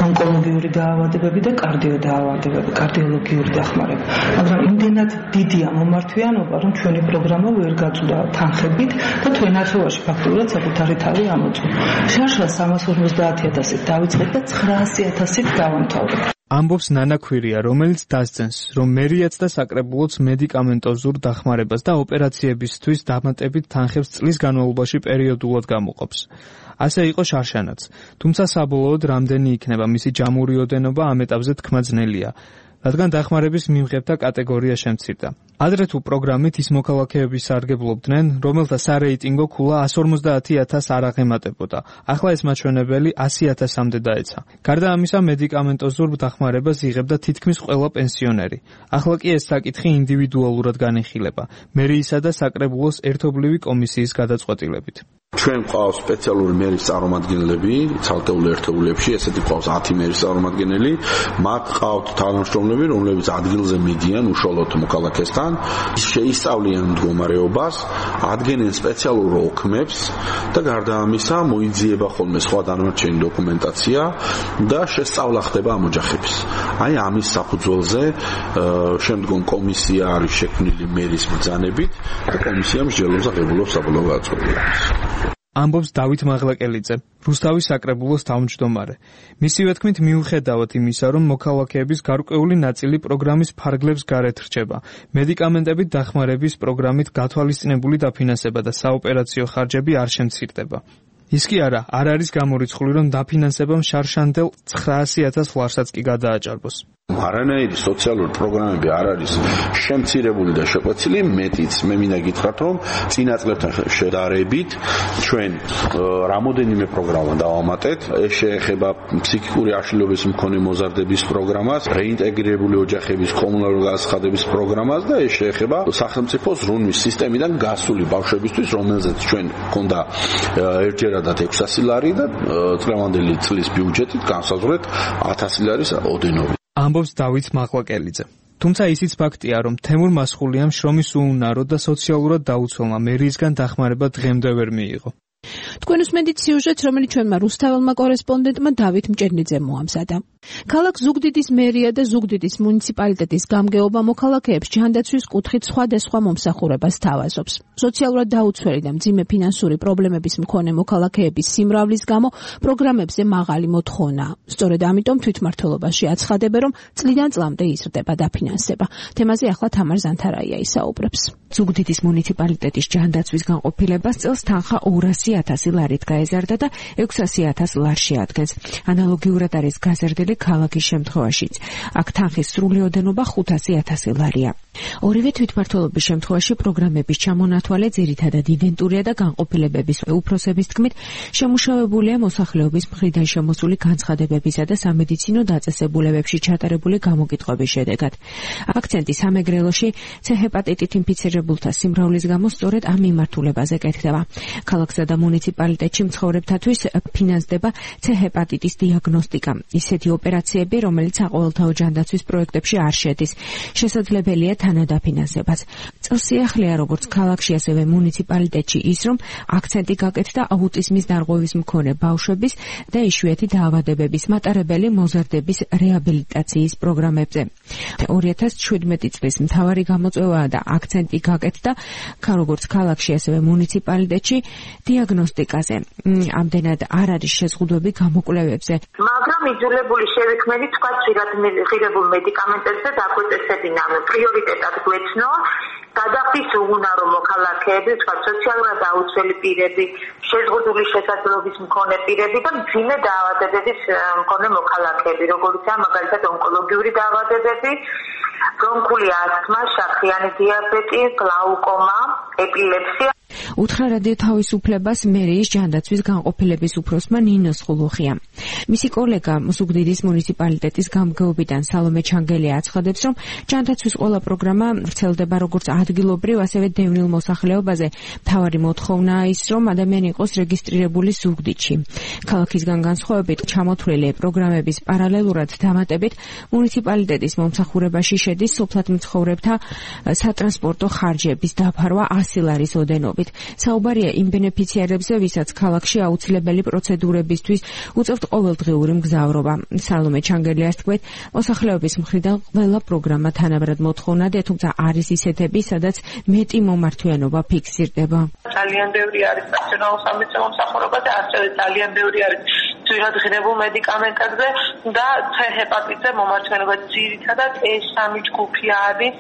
ონკოლოგიური დაავადებები და კარდიო დაავადებები, კარდიოლოგიური დახმარება. მაგრამ იმდენად დიდია მომართვიანობა, რომ ჩვენი პროგრამა ვერ გაწვდა თანხებით და თვენახევარში ფაქტურად საკუთარი თავი ამოწურა. შარშან სამას ორმოცდაათი ათასით დავიწყეთ და ცხრაასი ათასით დავამთავრეთ. ამბობს ნანა ქვირია, რომელიც დასძენს, რომ მერიაც და საკრებულოც მედიკამენტოზურ დახმარებას და ოპერაციებისთვის დამატებით თანხებს წლის განმავლობაში პერიოდულად გამოყოფს. ასე იყო შარშანაც, თუმცა საბოლოოდ რამდენი იქნება მისი ჯამური ოდენობა ამ ეტაპზე თქმა ძნელია, რადგან დახმარების მიმღებთა კატეგორია შემცირდა. ადრე თუ პროგრამით ის მოქალაქეები სარგებლობდნენ, რომელთა სარეიტინგო ქულა ასი ორმოცდაათი ათასს არ აღემატებოდა. ახლა ეს მაჩვენებელი ასი ათასამდე დაეცა. გარდა ამისა, მედიკამენტოზურ დახმარებას იღებდა თითქმის ყველა პენსიონერი. ახლა კი ეს საკითხი ინდივიდუალურად განიხილება, მერიისა და საკრებულოს ერთობლივი კომისიის გადაწყვეტილებით. ჩვენ ყავს სპეციალური მერის წარმომადგენლები ცალკეულ ერთეულებში, ესეთი ყავს ათი მერის წარმომადგენელი, მათ ყავთ თანამშრომლები, რომლებიც ადგილზე მიდიან უშუალოდ მოქალაქესთან, შეისწავლიან მდგომარეობას, ადგენენ სპეციალურ ოქმებს და გარდა ამისა მოიძიება ხოლმე სხვა დანარჩენი დოკუმენტაცია და შესწავლა ხდება ამ ოჯახების. აი ამის საფუძველზე შემდგომ კომისია არის შექმნილი მერის ბრძანებით და კომისია მსჯელობს აღებულობს საბოლოო გადაწყვეტილებას. ამბობს დავით მაღლაკელიძე, რუსთავის საკრებულოს თავმჯდომარე. მისივე თქმით, მიუხედავად იმისა, რომ მოქალაქეების გარკვეული ნაწილი პროგრამის ფარგლებს გარეთ რჩება, მედიკამენტებით დახმარების პროგრამით გათვალისწინებული დაფინანსება და საოპერაციო ხარჯები არ შემცირდება. ის კი არა, არ არის გამორიცხული, რომ დაფინანსებამ შარშანდელ ცხრაასი ათას ლარსაც კი გადააჭარბოს. არანაირი სოციალური პროგრამები არ არის შემცირებული და შეკვეცილი, მეტიც მე მინდა გითხრათ, რომ წინა წლებთან შედარებით ჩვენ რამოდენიმე პროგრამა დავამატეთ. ეს შეეხება ფსიქიკური აშლილობის მქონე მოზარდების პროგრამას, რეინტეგრირებული ოჯახების კომუნალური განაცხადების პროგრამას და ეს შეეხება სახელმწიფოს რუნვის სისტემიდან გასული ბავშვებისთვის, რომელზეც ჩვენ გვქონდა ერთჯერადად ექვსასი ლარი და წლევანდელი წლის ბიუჯეტით განსაზღვრეთ ათასი ლარის ოდენობით. ამბობს დავით მაღლაკელიძე. თუმცა ისიც ფაქტია, რომ თემურ მასხულიამ შრომის უუნარო და სოციალურად დაუცველმა მერიისგან დახმარება დღემდე ვერ მიიღო. თქვენ უსმენთ სიუჟეტს, რომელიც ჩვენმა რუსთაველმა კორესპონდენტმა დავით მჭერნიძემ მოამზადა. ქალაქ ზუგდიდის მერია და ზუგდიდის მუნიციპალიტეტის გამგეობა მოქალაქეებს ჯანდაცვის კუთხით სხვადასხვა მომსახურებას თავაზობს. სოციალურად დაუცველი და მძიმე ფინანსური პრობლემების მქონე მოქალაქეების სიმრავლის გამო პროგრამებზე მაღალი მოთხოვნა. სწორედ ამიტომ თვითმმართველობაში აცხადებენ, რომ წლიდან წლამდე იზრდება დაფინანსება. თემაზე ახლა თამარ ზანთარაია ისაუბრებს. ზუგდიდის მუნიციპალიტეტის ჯანდაცვის განყოფილებას წელს თანხა ორასი ათასი ლარით გაეზარდა და ექვსასი ათას ლარს შეადგენს. ანალოგიურად არის გაზრდილი ქალაქის შემთხვევაშიც. აქ თანხის სრული ოდენობა ხუთასი ათასი ლარია. ორივე თვითმმართველობის შემთხვევაში პროგრამების ჩამონათვალე ძირითადად იდენტურია და განყოფილებების უფროსების თქმით შემუშავებულია მოსახლეობის მხრიდან შემოსული განცხადებებისა და სამედიცინო დაწესებულებებში ჩატარებული გამოკითხვების შედეგად. აქცენტი სამეგრელოში ცე-ჰეპატიტით ინფიცირებულთა სიმრავლის გამო სწორედ ამ მიმართულებაზე კეთდება. ქალაქსა და მუნიციპალიტეტში მცხოვრებთათვის ფინანსდება ცე-ჰეპატიტის დიაგნოსტიკა. ისეთი ოპერაციები, რომელიც საყოველთაო ჯანდაცვის პროექტებში არ შედის. შესაძლებელია თანადაფინანსებაც. წელს სიახლეა როგორც ქალაქში, ასევე მუნიციპალიტეტში ის, რომ აქცენტი გაკეთდა აუტიზმის დარღვევის მქონე ბავშვების და იშვიათი დაავადებების მატარებელი მოზარდების რეაბილიტაციის პროგრამებზე. ორი ათას შვიდმეტი წლის მთავარი გამოწვევაა და აქცენტი გაკეთდა როგორც ქალაქში, ასევე მუნიციპალიტეტში დიაგნოსტიკაზე. ამდენად არ არის შეზღუდვები გამოკვლევებზე. მაგრამ იძულებული შევიქმნით სხვა ღირებულ მედიკამენტებზე დაგვეწესებინა პრიორიტეტად გვეცნო გადახდის უღუნარო მოქალაქეები, სხვა სოციალურად დაუცველი პირები, შეზღუდული შესაძლებლობის მქონე პირები და მძიმე დაავადებების მქონე მოქალაქეები, როგორიცაა მაგალითად ონკოლოგიური დაავადებები, ბრონქული ასთმა, შაქრიანი დიაბეტი, გლაუკომა, ეპილეფსია. უთხრა რადიო თავისუფლებას მერიის ჯანდაცვის განყოფილების უფროსმა ნინოს ხულუხია. მისი კოლეგა ზუგდიდის მუნიციპალიტეტის გამგეობიდან სალომე ჩანგელია აცხადებს, რომ ჯანდაცვის ყველა პროგრამა ვრცელდება როგორც ადგილობრივ, ასევე დევნილ მოსახლეობაზე. მთავარი მოთხოვნაა ის, რომ ადამიანი იყოს რეგისტრირებული ზუგდიდში. ქალაქისგან განსხვავებით, ჩამოთვლილი პროგრამების პარალელურად დამატებით მუნიციპალიტეტის მომსახურებაში შედის სოფლად მცხოვრებთა სატრანსპორტო ხარჯების დაფარვა ასი ლარის ოდენობით. საუბარია იმ ბენეფიციარებზე, ვისაც ქალაქში აუცილებელი პროცედურებისთვის უწევთ ყოველდღიური მგზავრობა. სალომე ჩანგელიას თქმით, მოსახლეობის მხრიდან ყველა პროგრამა თანაბრად მოთხოვნადია, თუმცა არის ისეთები, სადაც მეტი მომართვიანობა ფიქსირდება. ძალიან ბევრი არის პერსონალურ სამედიცინო მომსახურებაზე, ასევე ძალიან ბევრი არის ძვირად ღირებულ მედიკამენტებზე და C ჰეპატიტზე მომართვიანობა ძირითადად ეს სამი ჯგუფი არის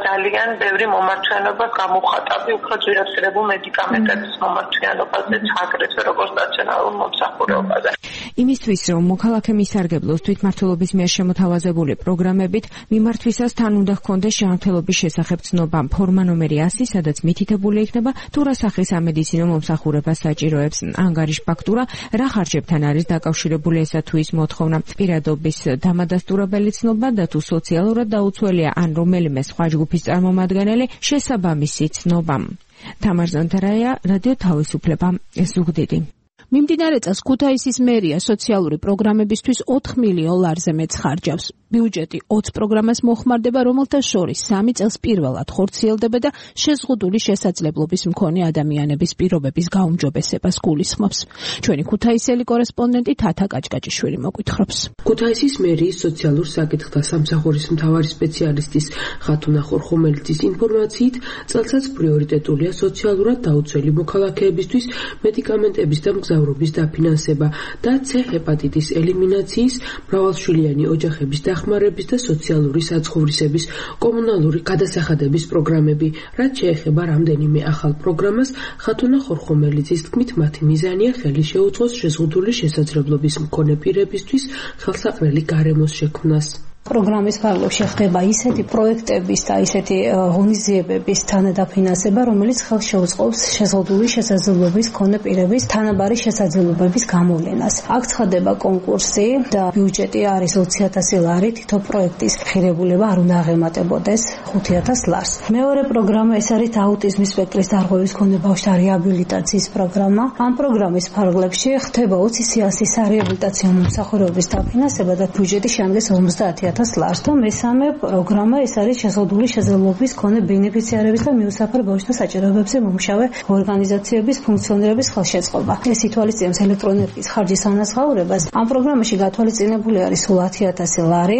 ძალიან ბევრი მომართვიანობა გამოხატავი უფრო ძვირად ღირებულ მედიკამენტების მომართვიანობაზე, აგრეთვე როგორც სტაციონარულ მომსახურებაზე. იმისთვის, რომ მოქალაქე მისარგებლოს თვითმმართველობის მიერ შემოთავაზებული პროგრამებით, მიმართვისას თან უნდა ჰქონდეს შეამთელობის შესახებ ცნობა, ფორმა ნომერი ასი, სადაც მითითებული იქნება თუ რა სახის სამედიცინო მომსახურებას საჭიროებს, ანგარიშ ფაქტურა, რა ხარჯებთან არის დაკავშირებული ესა თუ ის მოთხოვნა, პირადობის დამადასტურებელი ცნობა და თუ სოციალურად დაუცველია ან რომელიმე სხვა ჯგუფის წარმომადგენელი, შესაბამისი ცნობა. თამარ ზანთარაია, რადიო თავისუფლება, ზუგდიდი. მიმდინარე წელს ქუთაისის მერია სოციალური პროგრამებისთვის ოთხ მილიონ ლარზე მეც ხარჯავს. ბიუჯეტი ოცი პროგრამას მოხმარდება, რომელთა შორის სამი წელს პირველად ხორციელდება და შეზღუდული შესაძლებლობის მქონე ადამიანების პირობების გაუმჯობესებას გულისხმობს. ჩვენი ქუთაისელი კორესპონდენტი თათა კაჭკაჭიშვილი მოგვითხრობს. ქუთაისის მერიის სოციალურ საკითხთა სამსახურის მთავარი სპეციალისტის ხათუნა ხორხომელიძის ინფორმაციით, წელსაც პრიორიტეტულია სოციალურად დაუცველი მოქალაქეებისთვის მედიკამენტების და მგზავრობის დაფინანსება და C ჰეპატიტის ელიმინაციის, მრავალშვილიანი ოჯახების დახმარების და სოციალური საცხოვრისების კომუნალური გადასახადების პროგრამები. რაც შეეხება რამდენიმე ახალ პროგრამას, ხათუნა ხორხომელიძის თქმით, მათი მიზანია ხელი შეუწყოს შეზღუდული შესაძლებლობის მქონე პირებისთვის ხელსაყრელი გარემოს შექმნას. პროგრამის ფარგლებში ხდება ისეთი პროექტების და ისეთი ღონისძიებების თანადაფინანსება, რომელიც ხელს შეუწყობს შეზღუდული შესაძლებლობის მქონე პირების თანაბარი შესაძლებლობების გამოვლენას. აქ ცხადდება კონკურსი და ბიუჯეტი არის ოცი ათასი ლარი, თითო პროექტის ღირებულება არ უნდა აღემატებოდეს ხუთი ათას ლარს. მეორე პროგრამა ეს არის აუტიზმის სპექტრის დარღვევის მქონე ბავშვთა რეაბილიტაციის პროგრამა. ამ პროგრამის ფარგლებში ხდება ოცი სიასისარეაბილიტაციო მომსახურების დაფინანსება და ბიუჯეტი შემდგეს ორმოცდაათი ათას ლარს. და მესამე პროგრამა ეს არის შეზღუდული შესაძლებლობის მქონე ბენეფიციარების და მიუსაფრ ბავშვთა საჭიროებებზე მომუშავე ორგანიზაციების ფუნქციონირების ხელშეწყობა. ეს ითვალისწინებს ელექტროენერგიის ხარჯის ანაზღაურებას. ამ პროგრამაში გათვალისწინებული არის სულ ათი ათასი ლარი.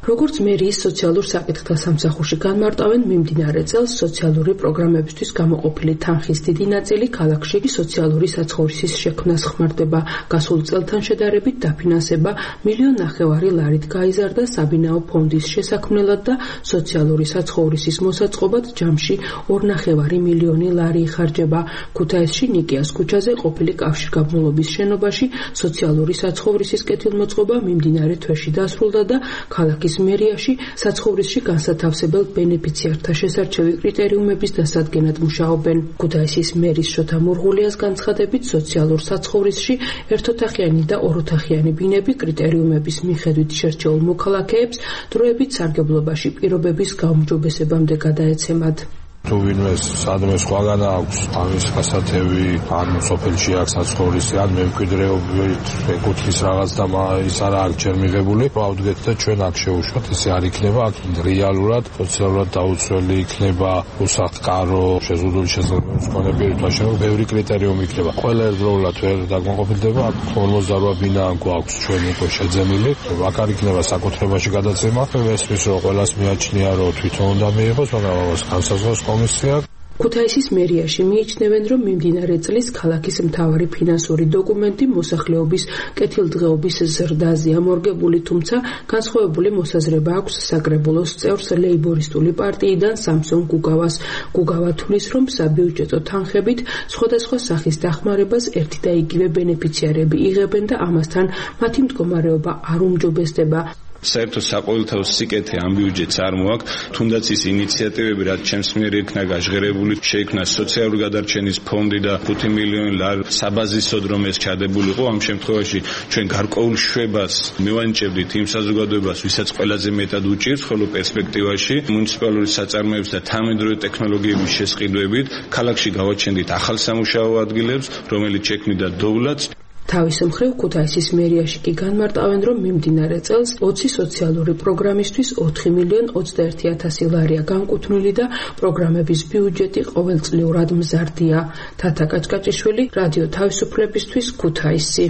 როგორც მერიის სოციალურ საკითხთა სამსახურში განმარტავენ, მიმდინარე წელს სოციალური პროგრამებისთვის გამოყოფილი თანხის დიდი ნაწილი ქალაქში სოციალური საცხოვრისის შექმნას ხმარდება. გასულ წელთან შედარებით დაფინანსება მილიონ ნახევარი ლარით გაიზარდა საბინაო ფონდის შესაქმნელად და სოციალური საცხოვრისის მოსაწყობად ჯამში ორ ნახევარი მილიონი ლარი იხარჯება. ქუთაისში ნიკიას ქუჩაზე ყოფილი კავშირგაბმულობის შენობაში სოციალური საცხოვრისის კეთილმოწყობა მიმდინარე თვეში დასრულდა და ქალაქის მერიაში საცხოვრისში განსათავსებელ ბენეფიციართა შესარჩევი კრიტერიუმების დასადგენად მუშაობენ. ქუთაისის მერის შოთა მურღულიას განცხადებით, სოციალურ საცხოვრისში ერთოთახიანი და ოროთახიანი ბინები კრიტერიუმების მიხედვით შერჩეულ მოქალაქეებს დროებით სარგებლობაში პირობების გაუმჯობესებამდე გადაეცემათ. თუ ვინმე სადმე სხვაგან აქვს ამის გასათევი ან სოფელში აქვს საცხოვრისი ან მემკვიდრეობით ეკუთვნის რაღაც და ის არა აქ ჯერ მიღებული ავდგეთ და ჩვენ აქ შევუშვათ ესე არ იქნება აქ რეალურად სოციალურად დაუცველი იქნება უსახლკარო შეზღუდული შესაძლებლობის მქონე პირთა შენ ბევრი კრიტერიუმი იქნება ყველა ერთდროულად ვერ დაკმაყოფილდება აქ ორმოცდარვა ბინა გვაქვს ჩვენ უკვე შეძენილი აქ არ იქნება საკუთრებაში გადაცემა ესმის რომ ყველას მიაჩნია რომ თვითონ უნდა მიიღოს მაგრამ ამას განსაზღვროს კომისია ქუთაისის მერიაში მიიჩნევენ, რომ მიმდინარე წლის ქალაქის მთავარი ფინანსური დოკუმენტი მოსახლეობის კეთილდღეობის ზრდაზეა მორგებული, თუმცა განსხვავებული მოსაზრება აქვს საკრებულოს წევრს ლეიბორისტული პარტიიდან სამსონ გუგავას. გუგავა თვლის, რომ საბიუჯეტო თანხებით სხვადასხვა სახის დახმარებას ერთი და იგივე ბენეფიციარები იღებენ და ამასთან მათი მდგომარეობა არ უმჯობესდება. საერთო საყოველთაო სიკეთე ამ ბიუჯეტს არ მოაქვს, თუნდაც ის ინიციატივები, რაც ჩემს მიერ იქნა გაჟღერებული, შეიქმნა სოციალური გადარჩენის ფონდი და ხუთი მილიონი ლარი საბაზისოდ რომ ეს ჩადებულიყო, ამ შემთხვევაში ჩვენ გარკვეულ შვებას მივანიჭებდით იმ საზოგადოებას, ვისაც ყველაზე მეტად უჭირს, ხოლო პერსპექტივაში მუნიციპალური საწარმოების და თანამედროვე ტექნოლოგიების შესყიდვებით ქალაქში გავაჩენდით ახალ სამუშაო ადგილებს, რომელიც შექმნიდა დოვლაც. თავის მხრივ ქუთაისის მერიაში კი განმარტავენ, რომ მიმდინარე წელს ოცი სოციალური პროგრამისთვის ოთხი მილიონი ოცდაერთი ათასი ლარია განკუთვნილი და პროგრამების ბიუჯეტი ყოველწლიურად მზარდია. თათა კაჭკაჭიშვილი, რადიო თავისუფლებისთვის, ქუთაისი.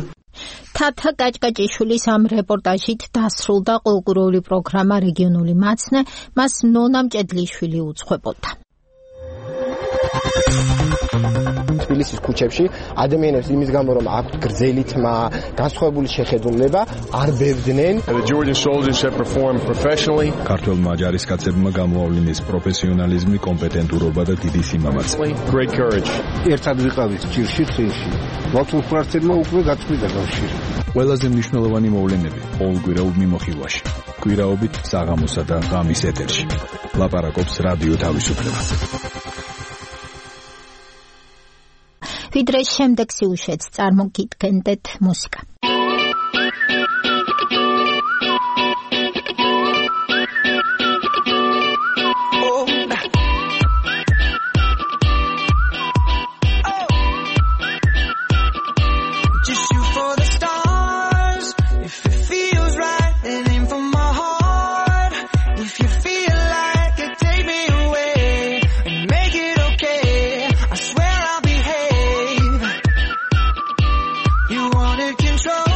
თათა კაჭკაჭიშვილის ამ რეპორტაჟით დასრულდა კულტურული პროგრამა რეგიონული მაცნე, მას ნონა მჭედლიშვილი უძღვებოდა. თბილისის ქუჩებში ადამიანებს იმის გამო რომ აქვთ გრძელი თმა, განსხვავებული შეხედულება, არ ბებდნენ. ქართველმა ჯარისკაცებმა გამოავლინეს პროფესიონალიზმი, კომპეტენტურობა და დიდი სიმამაცე. ერთად ვიყავით ჭირში ხილში. ლათულფრაცებმა უკვე გაწყვიტა კავშირი. ყველაზე მნიშვნელოვანი მოვლენები ყოველკვირეულ მიმოხილვაში. კვირაობით საღამოსა და ღამის ეთერში. ლაპარაკობს რადიო თავისუფლება. ვიდრე შემდეგ სიუჟეტს წარმოგიდგენდეთ მუსიკა. Control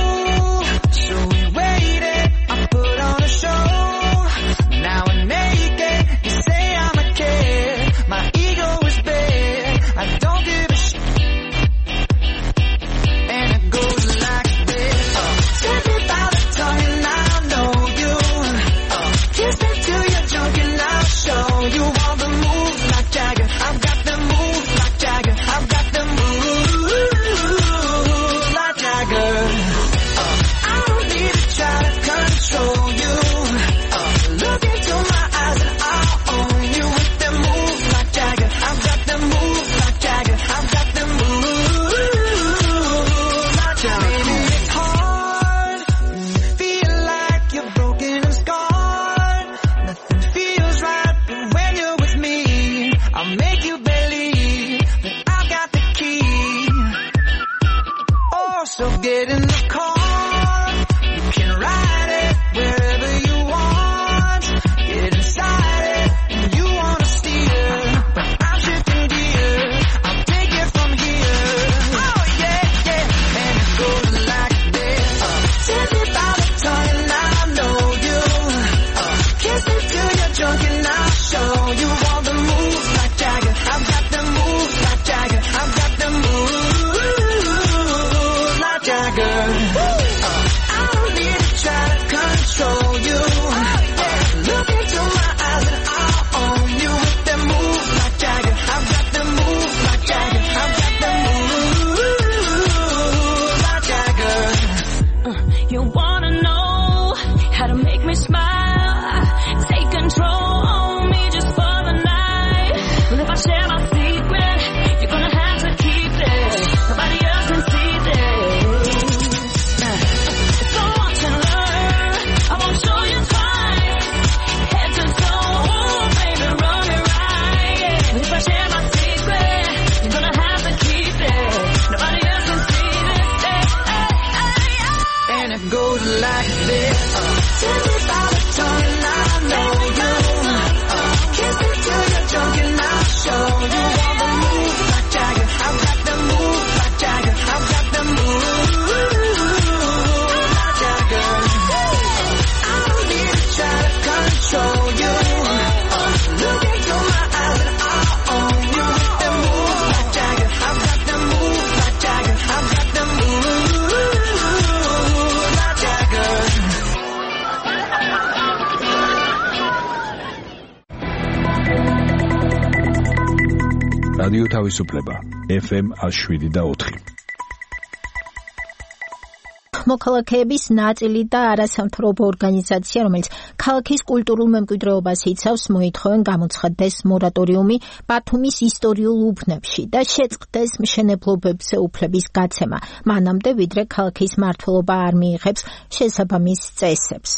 like this. Tell me about a tongue and I know you. Kiss me till you're drunk and I'll show you all the moves like Jagger. I've got the moves like Jagger. I've got the moves like Jagger. I don't need to try to control you. Look into my eyes and I'll own you with the moves like Jagger. I've got the moves like Jagger. I've got the moves like Jagger. რადიო თავისუფლება ეფ ემ one oh seven და four. მოქალაქეების ნაწილი და არასამთავრობო ორგანიზაცია, რომელიც ქალაქის კულტურულ მემკვიდრეობას იცავს, მოითხოვენ გამოცხადდეს მორატორიუმი ბათუმის ისტორიულ უბნებში და შეწყდეს მშენებლობებზე უფლების გაცემა, მანამდე ვიდრე ქალაქის მმართველობა არ მიიღებს შესაბამის წესებს.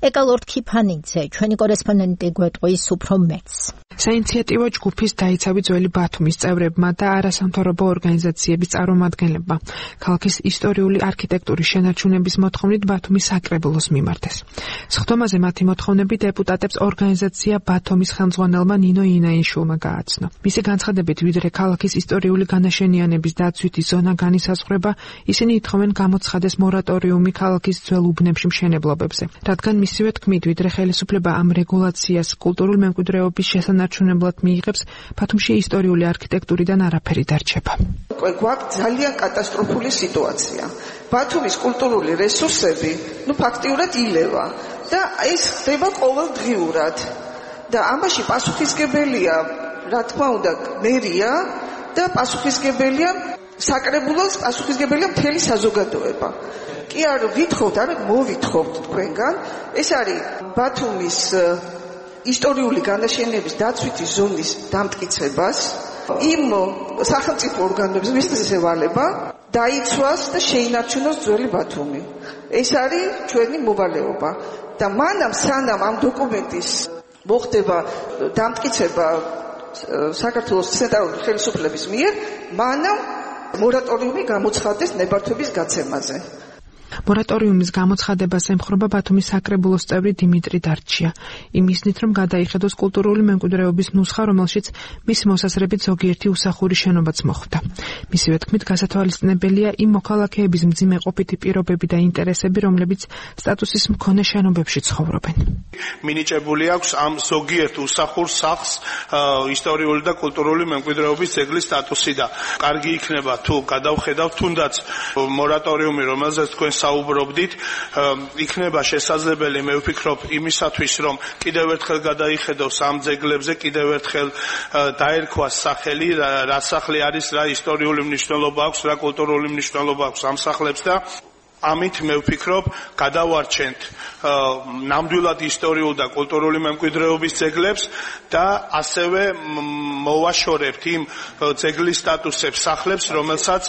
ეკალორდ ქიფანიძე, ჩვენი კორესპონდენტი გვეტყვის უფრო მეც. საინიციატივო ჯგუფის დაიცავი ძველი ბათუმის წევრებმა და არასამთავრობო ორგანიზაციების წარმომადგენლებმა ქალაქის ისტორიული არქიტექტურის შენარჩუნების მოთხოვნით ბათუმის საკრებულოს მიმართეს. სხდომაზე მათი მოთხოვნები დეპუტატებს ორგანიზაცია ბათუმის ხელმძღვანელმა ნინო ინაიშვილმა გააცნო. მისი განცხადებით, ვიდრე ქალაქის ისტორიული განაშენიანების დაცვითი ზონა განისაზღვრება, ისინი ითხოვენ გამოცხადეს მორატორიუმი ქალაქის ძველ უბნებში მშენებლობებზე, რადგან მისივე თქმით, ვიდრე ხელისუფლება ამ რეგულაციას კულტურულ მემკვიდრეობის შესანარჩუნებლად მიიღებს, ბათუმში ისტორიული არქიტექტურიდან არაფერი დარჩება. გვაქვს ძალიან კატასტროფული სიტუაცია. ბათუმის კულტურული რესურსები, ну, ფაქტიურად ილევა და ეს ხდება ყოველდღიურად. და ამაში პასუხისგებელია, რა თქმა უნდა, მერია და პასუხისგებელია საკრებულოს, პასუხისგებელია მთელი საზოგადოება. კი არ ვითხოვთ, არ მოვითხოვთ თქვენგან, ეს არის ბათუმის ისტორიული განაშენების დაცვითი ზონის დამტკიცებას, იმ სახელმწიფო ორგანოებს მისცეს ევალება დაიცვას და შეინარჩუნოს ძველი ბათუმი. ეს არის ჩვენი მოვალეობა და მანამ სანამ ამ დოკუმენტის მოხდება დამტკიცება საქართველოს ცენტრალური ხელისუფლების მიერ, მანამ მორატორიუმი გამოცხადდეს ნებართვების გაცემაზე. მორატორიუმის გამოცხადებას ემხრობა ბათუმის საკრებულოს წევრი დიმიტრი დარჩია, იმისნით, რომ გადაიხედოს კულტურული მემკვიდრეობის ნუსხა, რომელშიც მისი მოსაზრებით ზოგიერთი უსახური შენობაც მოხვდა. მისივე თქმით, გასათვალისწინებელია იმ მოქალაქეების მძიმე ყოფითი პირობები და ინტერესები, რომლებიც სტატუსის მქონე შენობებში ცხოვრობენ. მინიჭებული აქვს ამ ზოგიერთ უსახურ სახლს ისტორიული და კულტურული მემკვიდრეობის ძეგლის სტატუსი და კარგი იქნება თუ გადავხედავთ თუნდაც მორატორიუმი, რომელზეც თქვენ საუბრობდით, იქნება შესაძლებელი, მე ვფიქრობ, იმისათვის, რომ კიდევ ერთხელ გადაიხედოს ამ ძეგლებზე, კიდევ ერთხელ დაერქვას სახელი, რა სახლი არის, რა ისტორიული მნიშვნელობა აქვს, რა კულტურული მნიშვნელობა აქვს ამ სახლებს და ამით მე ვფიქრობ, გადავარჩენთ ნამდვილად ისტორიულ და კულტურული მემკვიდრეობის ძეგლებს და ასევე მოვაშორებთ იმ ძეგლის სტატუსებს სახლებს, რომელსაც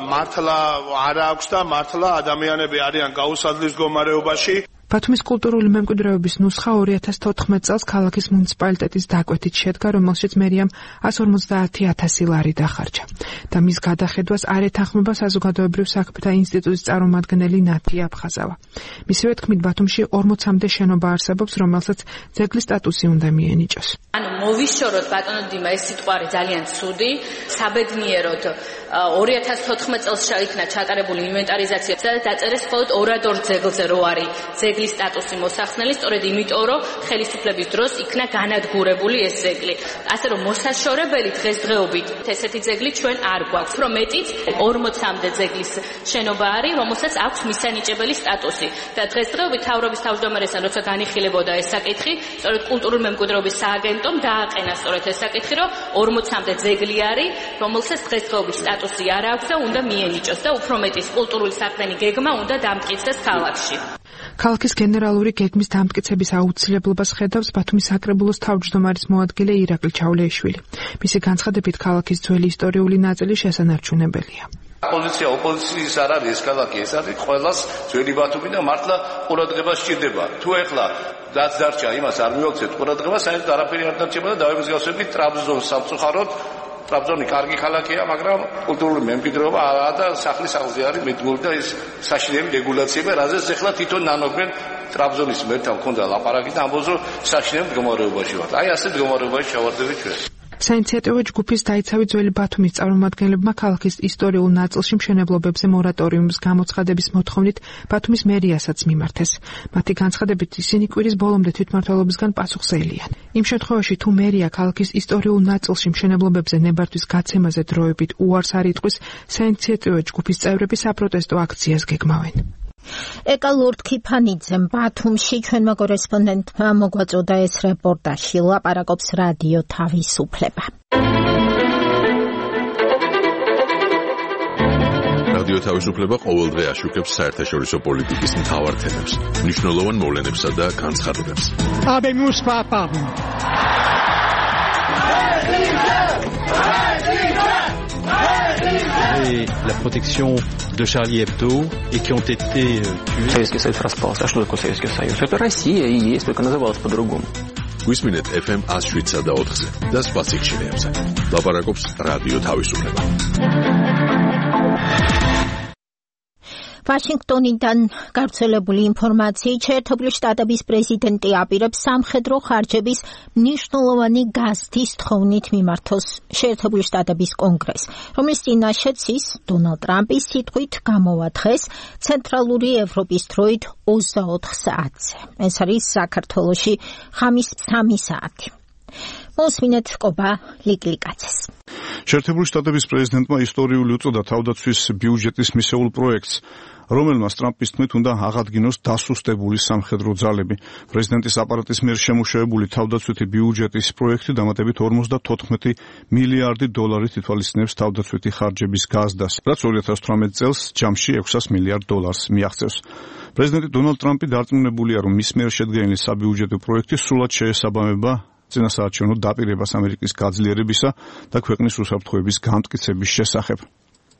მართლა არ აქვს და მართლა ადამიანები არიან გაუსადლის მდგომარეობაში. ბათუმის კულტურული მემკვიდრეობის ნუსხა ორი ათას თოთხმეტ წელს ქალაქის მუნიციპალიტეტის დაკვეთით შედგა, რომელშიც მერიამ one hundred fifty thousand ლარი დახარჯა და მის გადახედვას არ ეთანხმება საზოგადოებრივ საქმეთა ინსტიტუტის წარმომადგენელი ნათი აფხაზავა. მისივე თქმით, ბათუმში ორმოცამდე შენობა არსებობს, რომელსაც ძეგლის სტატუსი უნდა მიენიჭოს. ანუ მოვიშოროთ ბატონო დიმა, ეს სიტყვარი ძალიან ცუდი, საბედნიეროდ ორი ათას თოთხმეტ წელს შეიქმნა ჩატარებული ინვენტარიზაცია და დაწერეს მხოლოდ ორადორ ძეგლზე რო არის ძეგლის სტატუსი მოსახსნელი, სწორედ იმიტომ, რომ ხელისუფლების დროს იქნა განადგურებული ეს ძეგლი. ასე რომ მოსაშორებელი დღესდღეობით ესეთი ძეგლი ჩვენ არ გვაქვს, რომ მეტიც ორმოცამდე ძეგლის შენობა არის, რომელსაც აქვს მისანიჭებელი სტატუსი. და დღესდღეობით თავრობის თავმჯდომარესთან როცა განიხილებოდა ეს საკითხი, სწორედ კულტურული მემკვიდრეობის სააგენტომ დააყენა სწორედ ეს საკითხი, რომ ორმოცამდე ძეგლი არის, რომელსაც დღესდღეობით სტატუსი არ აქვს და უნდა მიენიჭოს და უფრო მეტის კულტურული საქმენი გეგმა უნდა დამტკიცდეს ქალაქში. ქალაქის გენერალური გეგმის დამტკიცების აუცილებლობას ხედავს ბათუმის საკრებულოს თავმჯდომარის მოადგილე ირაკლი ჩავლეიშვილი. მისი განცხადებით, ქალაქის ძველი ისტორიული ნაწილი შესანარჩუნებელია. ოპოზიცია ოპოზიციის არ არის ეს ქალაქი, ეს არის ყველას ძველი ბათუმი და მართლა ყურადღება სჭირდება. თუ ეხლა რაც დარჩა, იმას არ მივაქცევთ ყურადღებას, საერთოდ არაფერი არ დარჩება და დავემსგავსებით ტრაბზონს სამწუხაროდ ტრაბზონი კარგი ქალაქია, მაგრამ კულტურული მემკვიდრეობა არაა და სახლის აღზრდა არის მიდგმული და ეს საშინელი რეგულაციები, რაზეც ახლა თვითონ ნანოდნენ ტრაბზონის მერთან მქონდა ლაპარაკი და ამბობს, რომ საშინელ მდგომარეობაში ვართ. აი ასე მდგომარეობაში ჩავარდებით ჩვენ. საინიციატივო ჯგუფის დაიცავი ძველი ბათუმის წარმომადგენლებმა ქალაქის ისტორიულ ნაწილში მშენებლობებზე მორატორიუმის გამოცხადების მოთხოვნით ბათუმის მერიასაც მიმართეს. მათი განცხადებით ისინი კვირის ბოლომდე თვითმმართველობისგან პასუხზეილიან. იმ შემთხვევაში თუ მერია ქალაქის ისტორიულ ნაწილში მშენებლობებზე ნებართვის გაცემაზე დროებით უარს არ იტყვის, საინიციატივო ჯგუფის წევრები საპროტესტო აქციას გეგმავენ. ეკა ლორდ ქიფანიძემ ბათუმში ჩვენმა კორესპონდენტმა მოგვაწოდა ეს რეპორტაჟი, ლაპარაკობს რადიო თავისუფლება. რადიო თავისუფლება ყოველდღე აშუქებს საერთაშორისო პოლიტიკის მთავარ თემებს, მნიშვნელოვან მოვლენებსა და განცხადებებს. Habemus papam. Et la protection de Charlie Hebdo et qui ont été tués. Советский Союз распался. А что такое Советский Союз? Это Россия и есть, только называлась по-другому. გვისმინეთ эф эм one oh seven და ოთხზე და სხვა სიხშირეებზე. ლაპარაკობს რადიო თავისუფლება. ვაშინგტონიდან გავრცელებული ინფორმაციით შეერთებული შტატების პრეზიდენტი აპირებს სამხედრო ხარჯების მნიშვნელოვანი გაზრდის თხოვნით მიმართოს შეერთებული შტატების კონგრესს, რომლის წინაშეც ის დონალდ ტრამპის სიტყვით გამოვა დღეს ცენტრალური ევროპის დროით ოცდაოთხ საათზე. ეს არის საქართველოში ხამის სამი საათი. მოსმინეთ ყობა ლიკლიკაცეს. შეერთებული შტატების პრეზიდენტმა ისტორიული უწოდა თავდაცვის ბიუჯეტის მისეულ პროექტს, რომელმაც ტრამპის თქმით უნდა აღადგინოს დასუსტებული სამხედრო ძალები. პრეზიდენტის აპარატის მიერ შემუშავებული თავდაცვითი ბიუჯეტის პროექტი დამატებით ორმოცდათოთხმეტი მილიარდი დოლარით ითვალისწინებს თავდაცვითი ხარჯების გაზრდას, რაც ორი ათას თვრამეტ წელს ჯამში ექვსას მილიარდ დოლარს მიაღწევს. პრეზიდენტი დონალდ ტრამპი დარწმუნებულია, რომ მის მიერ შედგენილი საბიუჯეტო პროექტი სრულად შეესაბამება წინასაარჩევნო დაპირებას ამერიკის გაძლიერებისა და ქვეყნის უსაფრთხოების განმტკიცების შესახებ.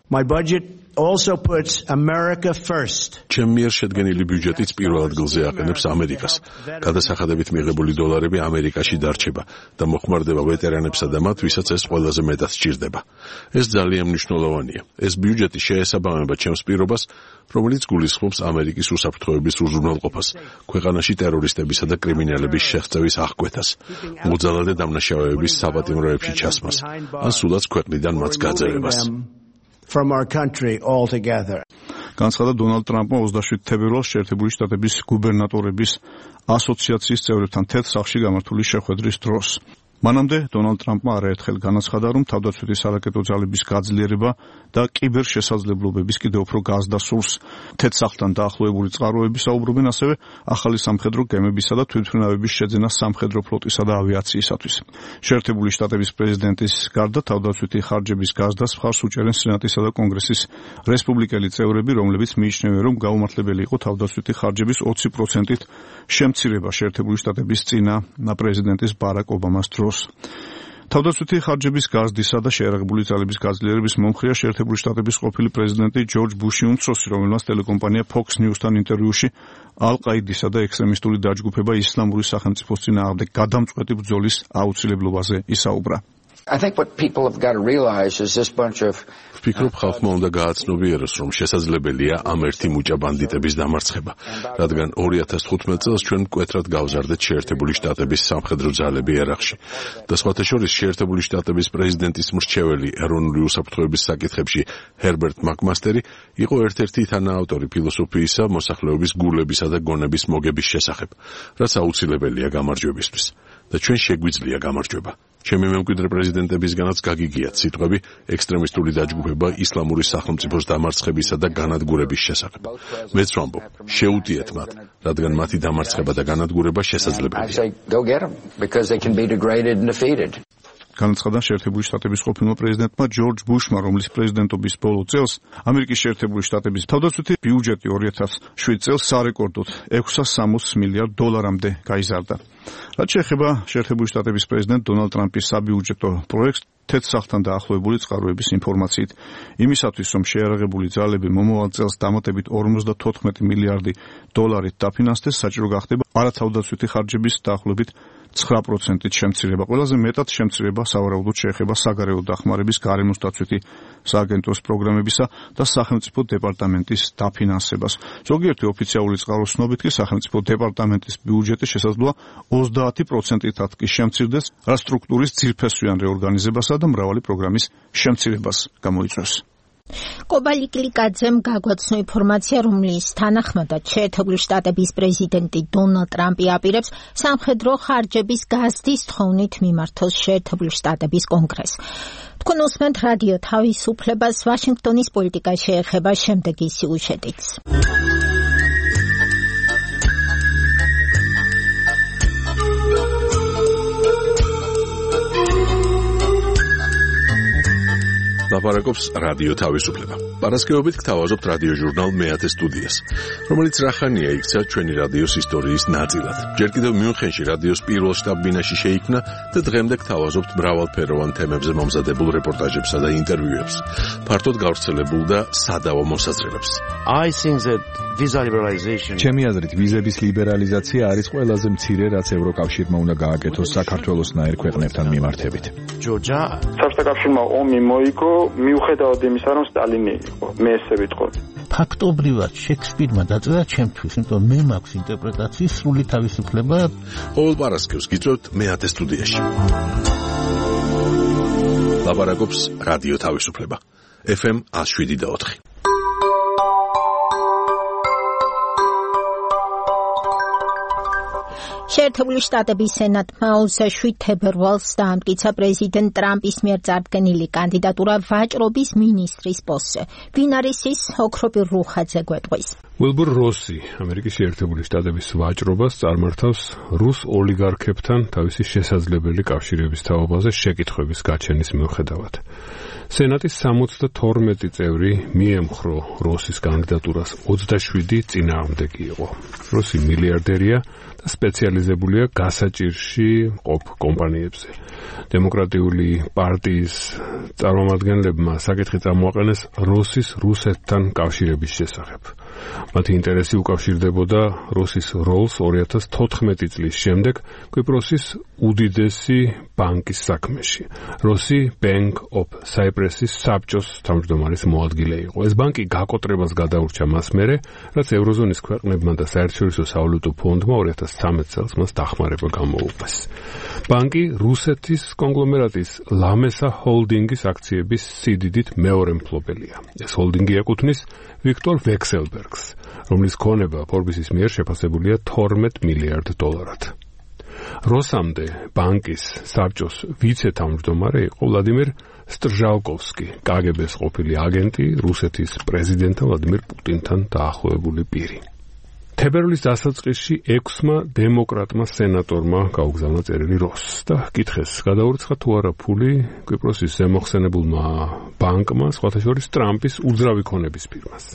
My budget also puts America first. ჩემ მიერ შედგენილი ბიუჯეტიც პირველ ადგილზე აყენებს ამერიკას. გადასახადებით მიღებული დოლარები ამერიკაში დარჩება და მოხმარდება ვეტერანებსა და მათ, ვისაც ეს ყველაზე მეტად სჭირდება. ეს ძალიან მნიშვნელოვანია. ეს ბიუჯეტი შეესაბამება ჩემს პირობას, რომელიც გულისხმობს ამერიკის უსაფრთხოების უზრუნველყოფას, ქვეყანაში ტერორისტებისა და კრიმინალების შეღწევის აღკვეთას, მოძალადე დამნაშავეების საპატიმროებში ჩასმას, ან სულაც ქვეყნიდან მათ გაძევებას. From our country altogether. განცხადა დონალდ ტრამპმა ოცდაშვიდ თებერვალს შეერთებული შტატების გუბერნატორების ასოციაციის წევრებთან თეთრ სახლში გამართული შეხვედრის დროს. მანამდე დონალდ ტრამპმა არაერთხელ განაცხადა, რომ თავდაცვითი სარაკეტო ძალების გაძლიერება და კიბერშესაძლებლობების კიდევ უფრო გაზრდა სურს. თეთრ სახლთან დაახლოებული წყაროები საუბრობენ ასევე ახალი სამხედრო გემებისა და თვითმფრინავების შეძენას სამხედრო ფლოტისა და ავიაციისათვის. შეერთებული შტატების პრეზიდენტის გარდა თავდაცვითი ხარჯების გაზრდას მხარს უჭერენ სენატისა და კონგრესის რესპუბლიკელი წევრები, რომლებიც მიიჩნევენ, რომ გაუმართლებელი იყო თავდაცვითი ხარჯების ოცი პროცენტით შემცირება შეერთებული შტატების წინა პრეზიდენტის ბარაკ ობამას დროს. თავდაცვითი ხარჯების გაზრდისა და შეერაღებული ძალების გაძლიერების მომხრეა შეერთებული შტატების ყოფილი პრეზიდენტი ჯორჯ ბუში უმცროსი, რომელმაც ტელეკომპანია Fox News-თან ინტერვიუში ალ-ყაიდისა და ექსტრემისტული დაჯგუფება ისლამური სახელმწიფოს წინააღმდეგ გადამწყვეტი ბრძოლის აუცილებლობაზე ისაუბრა. I think what people have got to realize is this bunch of ვფიქრობ, ხალხმა უნდა გააცნობიეროს, რომ შესაძლებელია ამ ერთი მუჭა ბანდიტების დამარცხება, რადგან ორი ათას თხუთმეტ წელს ჩვენ მკვეთრად გავზარდეთ შეერთებული შტატების სამხედრო ძალები ერაყში და სხვათა შორის შეერთებული შტატების პრეზიდენტის მრჩეველი ეროვნული უსაფრთხოების საკითხებში ჰერბერტ მაკმასტერი იყო ერთ-ერთი თანაავტორი ფილოსოფიისა მოსახლეობის გულებისა და გონების მოგების შესახებ, რაც აუცილებელია გამარჯვებისთვის და ჩვენ შეგვიძლია გამარჯვება. ჩემი მემკვიდრე პრეზიდენტებისგანაც გაგიგიათ სიტყვები ექსტრემისტული დაჯგუფება ისლამური სახელმწიფოს დამარცხებისა და განადგურების შესახებ. მეც ვამბობ, შეუტიეთ მათ, რადგან მათი დამარცხება და განადგურება შესაძლებელია. განაცხადა შეერთებული შტატების ყოფილმა პრეზიდენტმა ჯორჯ ბუშმა, რომლის პრეზიდენტობის ბოლო წელს ამერიკის შეერთებული შტატების თავდაცვითი ბიუჯეტი ორი ათას შვიდ წელს სარეკორდოდ ექვსას სამოცდ მილიარდ დოლარამდე გაიზარდა. რაც შეეხება შეერთებული შტატების პრეზიდენტ დონალდ ტრამპის საბიუჯეტო პროექტს, თეთრ სახლთან დაახლოებული წყაროების ინფორმაციით, იმისათვის, რომ შეერაღებული ძალები მომავალ წელს დამატებით ორმოცდათოთხმეტი მილიარდი დოლარით დაფინანსდეს, საჭირო გახდება არათავდაცვითი ხარჯების დაახლოებით ცხრა პროცენტით შემცირება. ყველაზე მეტად შემცირება სავარაუდოდ შეეხება საგარეო დახმარების გარემოს დაცვითი სააგენტოს პროგრამებისა და სახელმწიფო დეპარტამენტის დაფინანსებას. ზოგიერთი ოფიციალური წყაროს ცნობით კი სახელმწიფო დეპარტამენტის ბიუჯეტი შესაძლოა ოცდაათი პროცენტითაც კი შემცირდეს, რაც სტრუქტურის ძირფესვიან რეორგანიზებასა და მრავალი პროგრამის შემცირებას გამოიწვევს. კობალიკლიკაძემ გაგვაცნო ინფორმაცია, რომლის თანახმადაც შეერთებული შტატების პრეზიდენტი დონალდ ტრამპი აპირებს სამხედრო ხარჯების გაზრდის თხოვნით მიმართოს შეერთებული შტატების კონგრესს. თქვენ უსმენთ რადიო თავისუფლებას, ვაშინგტონის პოლიტიკა შეეხება შემდეგი სიუჟეტიც. ლაპარაკობს რადიო თავისუფლება. პარასკევობით გთავაზობთ რადიო ჟურნალ მეათე სტუდიას, რომელიც რახანია იქცა ჩვენი რადიოს ისტორიის ნაწილად. ჯერ კიდევ მიუნხენში რადიოს პირველ შტაბ-ბინაში შეიქმნა და დღემდე გთავაზობთ მრავალფეროვან თემებზე მომზადებულ რეპორტაჟებსა და ინტერვიუებს, ფართოდ გავრცელებულ და სადავო მოსაზრებებს. I think that visa liberalization ჩემი აზრით ვიზების ლიბერალიზაცია არის ყველაზე მცირე, რაც ევროკავშირმა უნდა გააკეთოს საქართველოსნაირ ქვეყნებთან მიმართებით. Georgia საბჭოთა კავშირმა ომი მოიგო მიუხედავად იმისა, რომ სტალინი იყო. მე ესე ვიტყოდი. ფაქტობრივად შექსპირმა დაწერა ჩემთვის, იმიტომ მე მაქვს ინტერპრეტაციის სრული თავისუფლება. ყოველ პარასკევს გიწევთ მეათე სტუდიაში. ლაპარაკობს რადიო თავისუფლება. ეფ ემ ათს შვიდი და ოთხი. შეერთებული შტატების სენატმა ოცდაშვიდ თებერვალს დაამტკიცა პრეზიდენტ ტრამპის მიერ წარდგენილი კანდიდატურა ვაჭრობის მინისტრის პოსტზე. ვინ არის ის? ოქროპირ რუხაძე გვეტყვის. უილბურ როსი ამერიკის შეერთებული შტატების ვაჭრობას წარმართავს რუს ოლიგარქებთან თავისი შესაძლებელი კავშირების თაობაზე შეკითხვების გაჩენის მიუხედავად. სენატის სამოცდათორმეტი წევრი მიემხრო როსის კანდიდატურას, ოცდაშვიდი წინააღმდეგი იყო. როსი მილიარდერია და სპეციალიზებულია გასაჭირში ყოფ კომპანიებზე. დემოკრატიული პარტიის წარმომადგენლებმა საკითხი წამოაყენეს როსის რუსეთთან კავშირების შესახებ. მათი ინტერესი უკავშირდებოდა როსის როლს ორი ათას თოთხმეტი წლის შემდეგ კვიპროსის უდიდესი ბანკის საქმეში. როსი Bank of Cyprus-ის საბჭოს თავმჯდომარის მოადგილე იყო. ეს ბანკი გაკოტრებას გადაურჩა მას მერე, რაც ევროზონის ქვეყნებმა და საერთაშორისო სავალუტო ფონდმა ორი ათას ცხრამეტ წელს მას დახმარება გამოუყვეს. ბანკი რუსეთის კონგლომერატის ლამესა ჰოლდინგის აქციების სიდიდით მეორე მფლობელია. ეს ჰოლდინგი ეკუთვნის ვიქტორ ვექსელბერგს, რომლის ქონება ფორბისის მიერ შეფასებულია თორმეტ მილიარდ დოლარად. როსამდე ბანკის საბჭოს ვიცე-თავმჯდომარე იყო ვლადიმერ სტრჟალკოვსკი, კაგებეს ყოფილი აგენტი, რუსეთის პრეზიდენტთან ვლადიმერ პუტინთან დაახლოებული პირი. თებერვლის დასაწყისში ექვსმა დემოკრატმა სენატორმა გაუგზავნა წერილი როსს და კითხეს, გადაურიცხა თუ არა ფული კვიპროსის ზემოხსენებულმა ბანკმა, სხვათა შორის ტრამპის უძრავი ქონების ფირმას.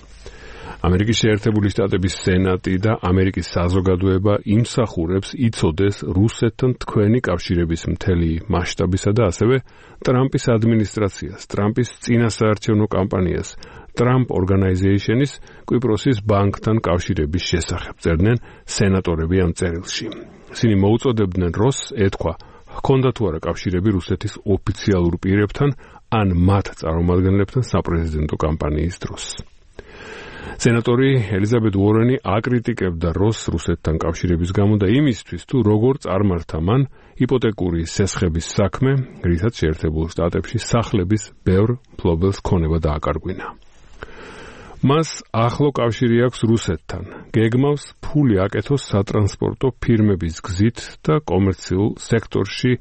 ამერიკის შეერთებული შტატების სენატი და ამერიკის საზოგადოება იმსახურებს იცოდეს რუსეთთან თქვენი კავშირების მთელი მასშტაბისა და ასევე ტრამპის ადმინისტრაციას, ტრამპის წინასაარჩევნო კამპანიას, Trump Organization-ის კვიპროსის ბანკთან კავშირების შესახებ წერდნენ სენატორები ამ წერილში. ისინი მოუწოდებდნენ როსს ეთქვა, ჰქონდა თუ არა კავშირები რუსეთის ოფიციალურ პირებთან ან მათ წარმომადგენლებთან საპრეზიდენტო კამპანიის დროს. სენატორი ელიზაბეთ უორენი აკრიტიკებდა როსს რუსეთთან კავშირების გამო და იმისთვის, თუ როგორ წარმართა მან იპოტეკური სესხების საქმე, რითაც შეერთებულ შტატებში სახლების ბევრ მფლობელს ქონება დააკარგვინა. მას ახლო კავშირი აქვს რუსეთთან. გეგმავს ფული აკეთოს სატრანსპორტო ფირმების გზით და კომერციულ სექტორში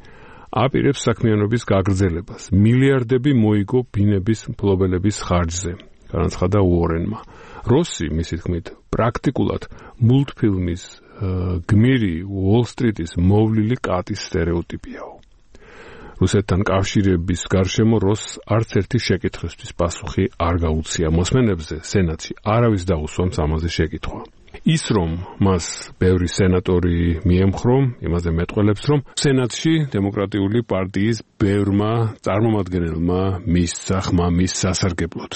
აპირებს საქმიანობის გაგრძელებას. მილიარდები მოიგო ბინების მფლობელების ხარჯზე, განაცხადა უორენმა. როსი, მისი თქმით, პრაქტიკულად მულტფილმის გმირი უოლ-სტრიტის მოვლილი კატის სტერეოტიპიაო. რუსეთთან კავშირების გარშემო როსს არც ერთი შეკითხვისთვის პასუხი არ გაუწია. მოსმენებზე სენატში არავის დაუსვამს ამაზე შეკითხვა. ის რომ მას ბევრი სენატორი მიემხრო, იმაზე მეტყველებს, რომ სენატში დემოკრატიული პარტიის ბევრმა წარმომადგენელმა მისცა ხმა მის სასარგებლოდ.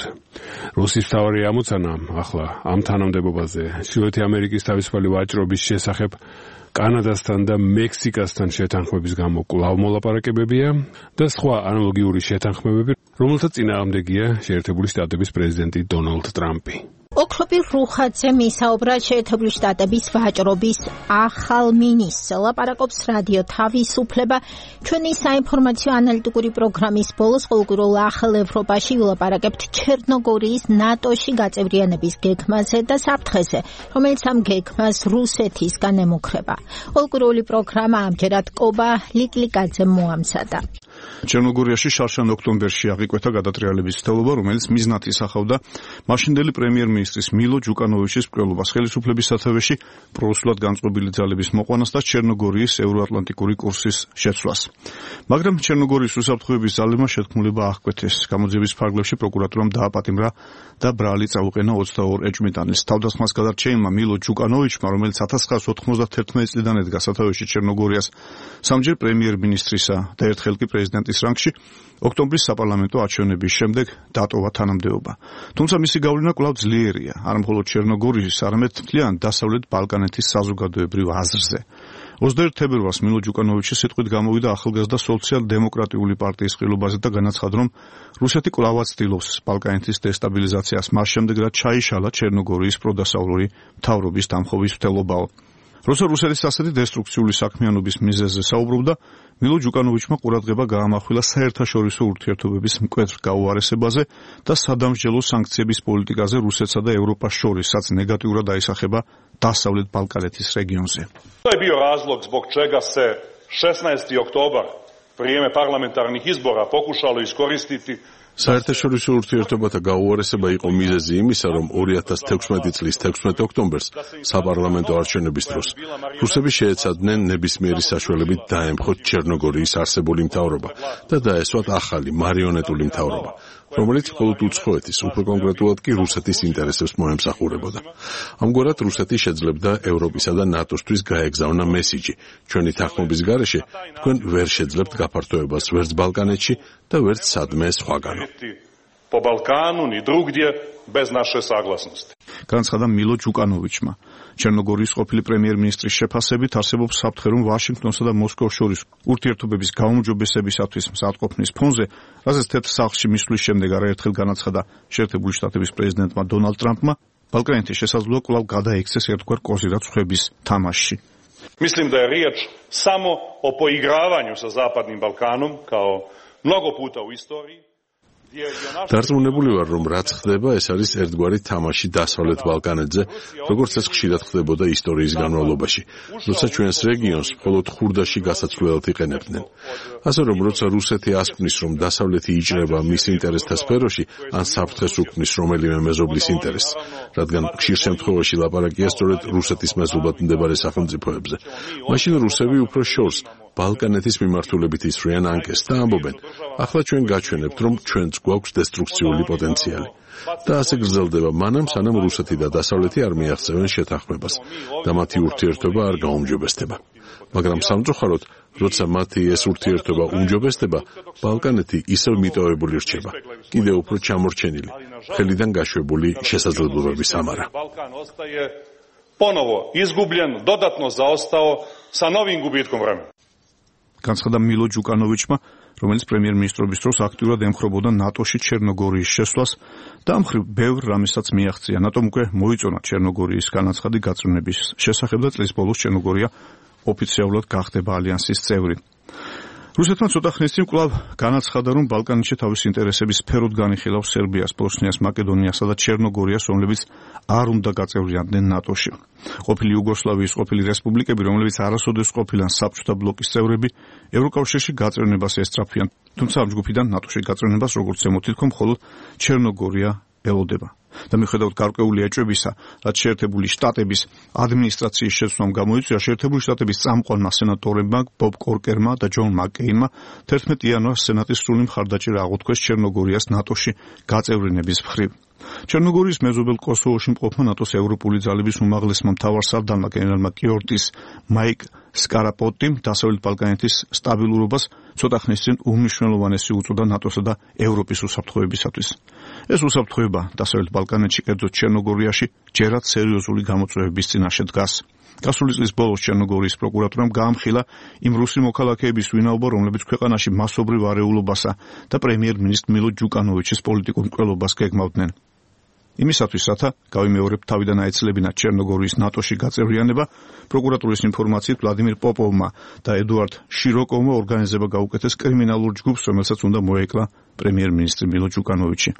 რუსის მთავარი ამოცანა ახლა ამ თანამდებობაზე ჩრდილოეთი ამერიკის თავისუფალი ვაჭრობის შესახებ კანადასთან და მექსიკასთან შეთანხმების გამო კვლავ მოლაპარაკებებია და სხვა ანალოგიური შეთანხმებები, რომელთა წინააღმდეგია შეერთებული შტატების პრეზიდენტი დონალდ ტრამპი. ოქროპი რუხაძე მისაუბრა შეერთებული შტატების ვაჭრობის ახალ მინისტრს. ლაპარაკობს რადიო თავისუფლება. ჩვენი საინფორმაციო ანალიტიკური პროგრამის ბოლოს ყოველკვირულ ახალ ევროპაში ვილაპარაკებთ ჩერნოგორიის ნატოში გაწევრიანების გეგმაზე და საფრთხეზე, რომელიც ამ გეგმას რუსეთისგან ემუქრება. ყოველკვირული პროგრამა ამჯერად კობა ლიკლიკაძემ მოამზადა. ჩერნოგორიაში შარშან ოქტომბერში აღიკვეთა გადატრიალების ცდელობა, რომელიც მიზნად ისახავდა მაშინდელი პრემიერ-მინისტრის მილო ჯუკანოვიჩის მკვლელობას ხელისუფლების სათავეში პრორუსულად განწყობილი ძალების მოყვანას და ჩერნოგორიის ევროატლანტიკური კურსის შეცვლას. მაგრამ ჩერნოგორიის უსაფრთხოების ძალებმა შეთქმულება აღკვეთეს. გამოძიების ფარგლებში პროკურატურამ დააპატიმრა და ბრალი წაუყენა ოცდაორ ეჭვმიტანილს. თავდასხმას გადარჩენილმა მილო ჯუკანოვიჩმა, რომელიც ოთხ ათას ოცდაათი წლიდან ედგა სათავეში ჩერნოგორიას სამჯერ პრემიერ-მინისტრისა და ერთხელ კი პრეზიდენტის რანგში, ოქტომბრის საპარლამენტო არჩევნების შემდეგ დატოვა თანამდებობა. თუმცა მისი გავლენა კვლავ ძლიერია, არა მხოლოდ ჩერნოგორიის, არამედ მთლიან დასავლეთ ბალკანეთის საზოგადოებრივ აზრზე. ოცდაერთი თებერვალს მილო ჯუკანოვიჩი სიტყვით გამოვიდა ახალგაზრდა სოციალ-დემოკრატიული პარტიის ყრილობაზე და განაცხადა, რომ რუსეთი კვლავ ცდილობს ბალკანეთის დესტაბილიზაციას, მას შემდეგ რაც ჩაიშალა ჩერნოგორიის პროდასავლური მთავრობის დამხობის მცდელობაო. როცა რუსეთის ასეთი დესტრუქციული საქმიანობის მიზეზზე საუბრობდა, მილო ჯუკანოვიჩმა ყურადღება გაამახვილა საერთაშორისო ურთიერთობების მკვეთრ გაუარესებაზე და სადამსჯელო სანქციების პოლიტიკაზე რუსეთსა და ევროპას შორის, რაც ნეგატიურად აისახება დასავლეთ ბალკანეთის რეგიონზე. To je bio razlog zbog čega se šesnaesti oktobar, vrijeme parlamentarnih izbora, pokušalo iskoristiti საერთაშორისო ურთიერთობათა გაუარესება იყო მიზეზი იმისა, რომ ორი ათას თექვსმეტი წლის თექვსმეტ ოქტომბერს საპარლამენტო არჩევნების დროს რუსები შეეცადნენ ნებისმიერი საშუალებით დაემხოთ ჩერნოგორიის არსებული მთავრობა და დაესვათ ახალი მარიონეტული მთავრობა, რომელიც მხოლოდ უცხოეთის, უფრო კონკრეტულად კი რუსეთის ინტერესებს მოემსახურებოდა. ამგვარად რუსეთი შეძლებდა ევროპისა და ნატოსთვის გაეგზავნა მესიჯი: ჩვენი თანხმობის გარეშე თქვენ ვერ შეძლებთ გაფართოებას ვერც ბალკანეთში და ვერც სადმე სხვაგანო. po Balkanu ni drugdje bez naše saglasnosti. განაცხადა მილო ჯუკანოვიჩმა. ჩერნოგორიის ყოფილი პრემიერ-მინისტრის შეფასებით არსებობს საფრთხე, რომ ვაშინგტონსა და მოსკოვს შორის ურთიერთობების გაუმჯობესებისათვის მზადყოფნის ფონზე, რაზეც თეთრ სახლში მისვლის შემდეგ არაერთხელ განაცხადა შეერთებული შტატების პრეზიდენტმა დონალდ ტრამპმა, ბალკანეთის შესაძლოა კვლავ გადაექცეს ერთგვარ კოზირად ხვების თამაშში. Mislim da je riječ samo o poigravanju sa Zapadnim Balkanom kao mnogo puta u istoriji. დარწმუნებული ვარ, რომ რაც ხდება, ეს არის ერთგვარი თამაში დასავლეთ ბალკანეთზე, როგორც ეს ხშირად ხდებოდა ისტორიის განმავლობაში, როცა ჩვენს რეგიონს მხოლოდ ხურდაში გასაცვლელად იყენებდნენ. ასე რომ, როცა რუსეთი ასკვნის, რომ დასავლეთი იჭრება მის ინტერესთა სფეროში, ან საფრთხეს უქმნის რომელიმე მეზობლის ინტერესს, რადგან ხშირ შემთხვევაში ლაპარაკია სწორედ რუსეთის მეზობლად მდებარე სახელმწიფოებზე, მაშინ რუსები უფრო შორს ბალკანეთის მიმართულებით ისვრიან ანკეს და ამბობენ: ახლა ჩვენ გაჩვენებთ, რომ ჩვენც გვაქვს დესტრუქციული პოტენციალი. და ასე გრძელდება მანამ, სანამ რუსეთი და დასავლეთი არ მიაღწევენ შეთანხმებას და მათი ურთიერთობა არ გაუმჯობესდება. მაგრამ სამწუხაროდ, როცა მათი ეს ურთიერთობა უმჯობესდება, ბალკანეთი ისევ მიტოვებული რჩება, კიდევ უფრო ჩამორჩენილი, ხელიდან გაშვებული შესაძლებლობების ამარა. Ponovo izgubljen, dodatno zaostao sa novim gubitkom vremena. განაცხადა მილო ჯუკანოვიჩმა, რომელიც პრემიერ-მინისტრობის დროს აქტიურად ემხრობოდა ნატოში ჩერნოგორიის შესვლას და ამ მხრივ ბევრ რამესაც მიაღწია. ნატომ უკვე მოიწონა ჩერნოგორიის განაცხადი გაწვრთნების შესახებ და წლის ბოლოს ჩერნოგორია ოფიციალურად გახდება ალიანსის წევრი. რუსეთმა ცოტა ხნის წინ კვლავ განაცხადა, რომ ბალკანეთში თავის ინტერესების სფეროდ განიხილავს სერბიას, ბოსნიას, მაკედონიასა და ჩერნოგორიას, რომლებიც არ უნდა გაწევრიანდნენ ნატოში. ყოფილი იუგოსლავიის ყოფილი რესპუბლიკები, რომლებიც არასოდეს ყოფილან საბჭოთა ბლოკის წევრები, ევროკავშირში გაწევრიანებას ესწრაფვიან. თუმცა ამ ჯგუფიდან ნატოში გაწევრიანებას, როგორც ემოთილქო, მხოლოდ ჩერნოგორია ელოდება. და მიუხედავად გარკვეული ეჭვებისა, რაც შეერთებული შტატების ადმინისტრაციის შეცვლამ გამოიწვია, შეერთებული შტატების წამყვანმა სენატორებმა ბობ კორკერმა და ჯონ მაკეინმა თერთმეტი იანვარს სენატის სრული მხარდაჭერა აღუთქვეს ჩერნოგორიას ნატოში გაწევრიანების მხრივ. ჩერნოგორიის მეზობელ კოსოვოში მყოფმა ნატოს ევროპული ძალების უმაღლესმა მთავარსარდალმა გენერალმა კიორტის მაიკ სკარაპოტიმ დასავლეთ ბალკანეთის სტაბილურობას ცოტა ხნის წინ უმნიშვნელოვანესი უწოდა ნატოსა და ევროპის უსაფრთხოებისათვის. ეს უსაფრთხოება დასავლეთ ბალკანეთში, კერძოდ ჩერნოგორიაში, ჯერაც სერიოზული გამოწვევების წინაშე დგას. გასული წლის ბოლოს ჩერნოგორიის პროკურატურამ გაამხილა იმ რუსი მოქალაქეების ვინაობა, რომლებიც ქვეყანაში მასობრივ არეულობასა და პრემიერ-მინისტრ მილო ჯუკანოვიჩის პოლიტიკურ მკვლელობას გეგმავდნენ. იმისათვის, რათა გავიმეორებ თავიდან აეცლებინა ჩერნოგორიის ნატოში გაწევრიანება, პროკურატურის ინფორმაციით ვლადიმირ პოპოვმა და ედუარდ შიროკოვმა ორგანიზება გაუკეთეს კრიმინალურ ჯგუფს, რომელსაც უნდა მოეკლა პრემიერ-მინისტრი მილო ჯუკანოვიჩი.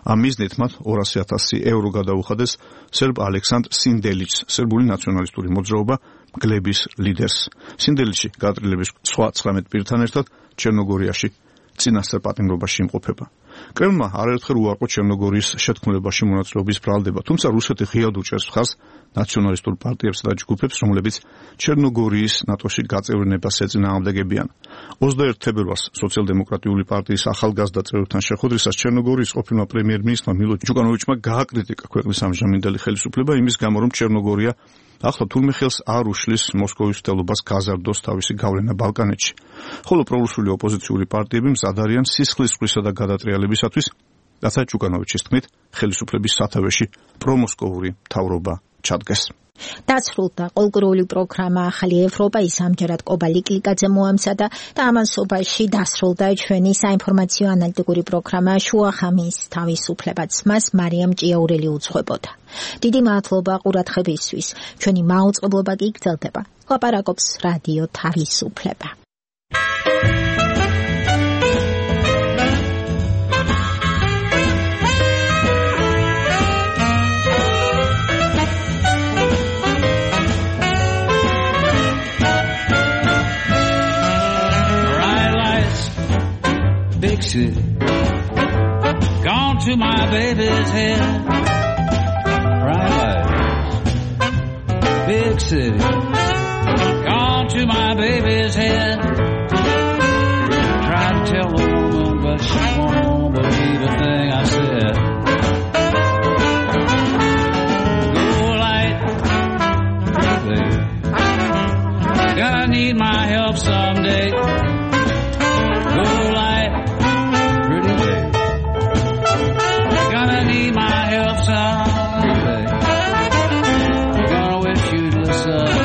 ამ მიზნით მათ ორასი ათასი ევრო გადაუხადეს სერბ ალექსანდრ სინდელიჩს, სერბული ნაციონალისტური მოძრაობა მგლების ლიდერს. სინდელიჩი გადატრილების სხვა ცხრამეტ პირთან ერთად ჩერნოგორიაში წინასწარ პატიმრობაში იმყოფება. კრემლმა არაერთხელ უარყო ჩერნოგორიის შეთქმულებაში მონაწილეობის ბრალდება, თუმცა რუსეთი ღიად უჭერს მხარს ნაციონალისტურ პარტიებსა და ჯგუფებს, რომლებიც ჩერნოგორიის ნატოში გაწევრიანებას ეწინააღმდეგებიან. ოცდაერთი თებერვალს სოციალ-დემოკრატიული პარტიის ახალგაზრდა წევრებთან შეხვედრისას ჩერნოგორიის ყოფილმა პრემიერ-მინისტრმა მილო ჯუკანოვიჩმა გააკრიტიკა ქვეყნის ამჟამინდელი ხელისუფლება იმის გამო, რომ ჩერნოგორია ახლა თურმე ხელს არ უშლის მოსკოვის მცდელობას გაზარდოს თავისი გავლენა ბალკანეთში. ხოლო პრორუსული ოპოზიციური პარტიები მზად არიან სისხლის ზღვისა და გადატრიალებისათვის, რათა ჯუკანოვიჩის თქმით, ხელისუფლების სათავეში პრომოსკოვური მთავრობა ჩადგეს. დასრულდა ყოლგრული პროგრამა ახალი ევროპა, ის ამჯერად კობა ლიკლიკაძე მოამზადა და ამასობაში დასრულდა ჩვენი საინფორმაციო ანალიტიკური პროგრამა შუახამის თავისუფლებაც მას მარიამ ჭიაურელი უძღვებოდა. დიდი მადლობა ყურადღებისთვის. ჩვენი მაუწყებლობა კი გრძელდება. ლაპარაკობს რადიო თავისუფლება. Big city, gone to my baby's head. Bright lights, big city, gone to my baby's head. Tried to tell the woman, but she won't believe a thing I said. Go light, baby, gonna need my help someday. Go light, pretty baby, gonna need my help someday. Gonna wish you'd listen.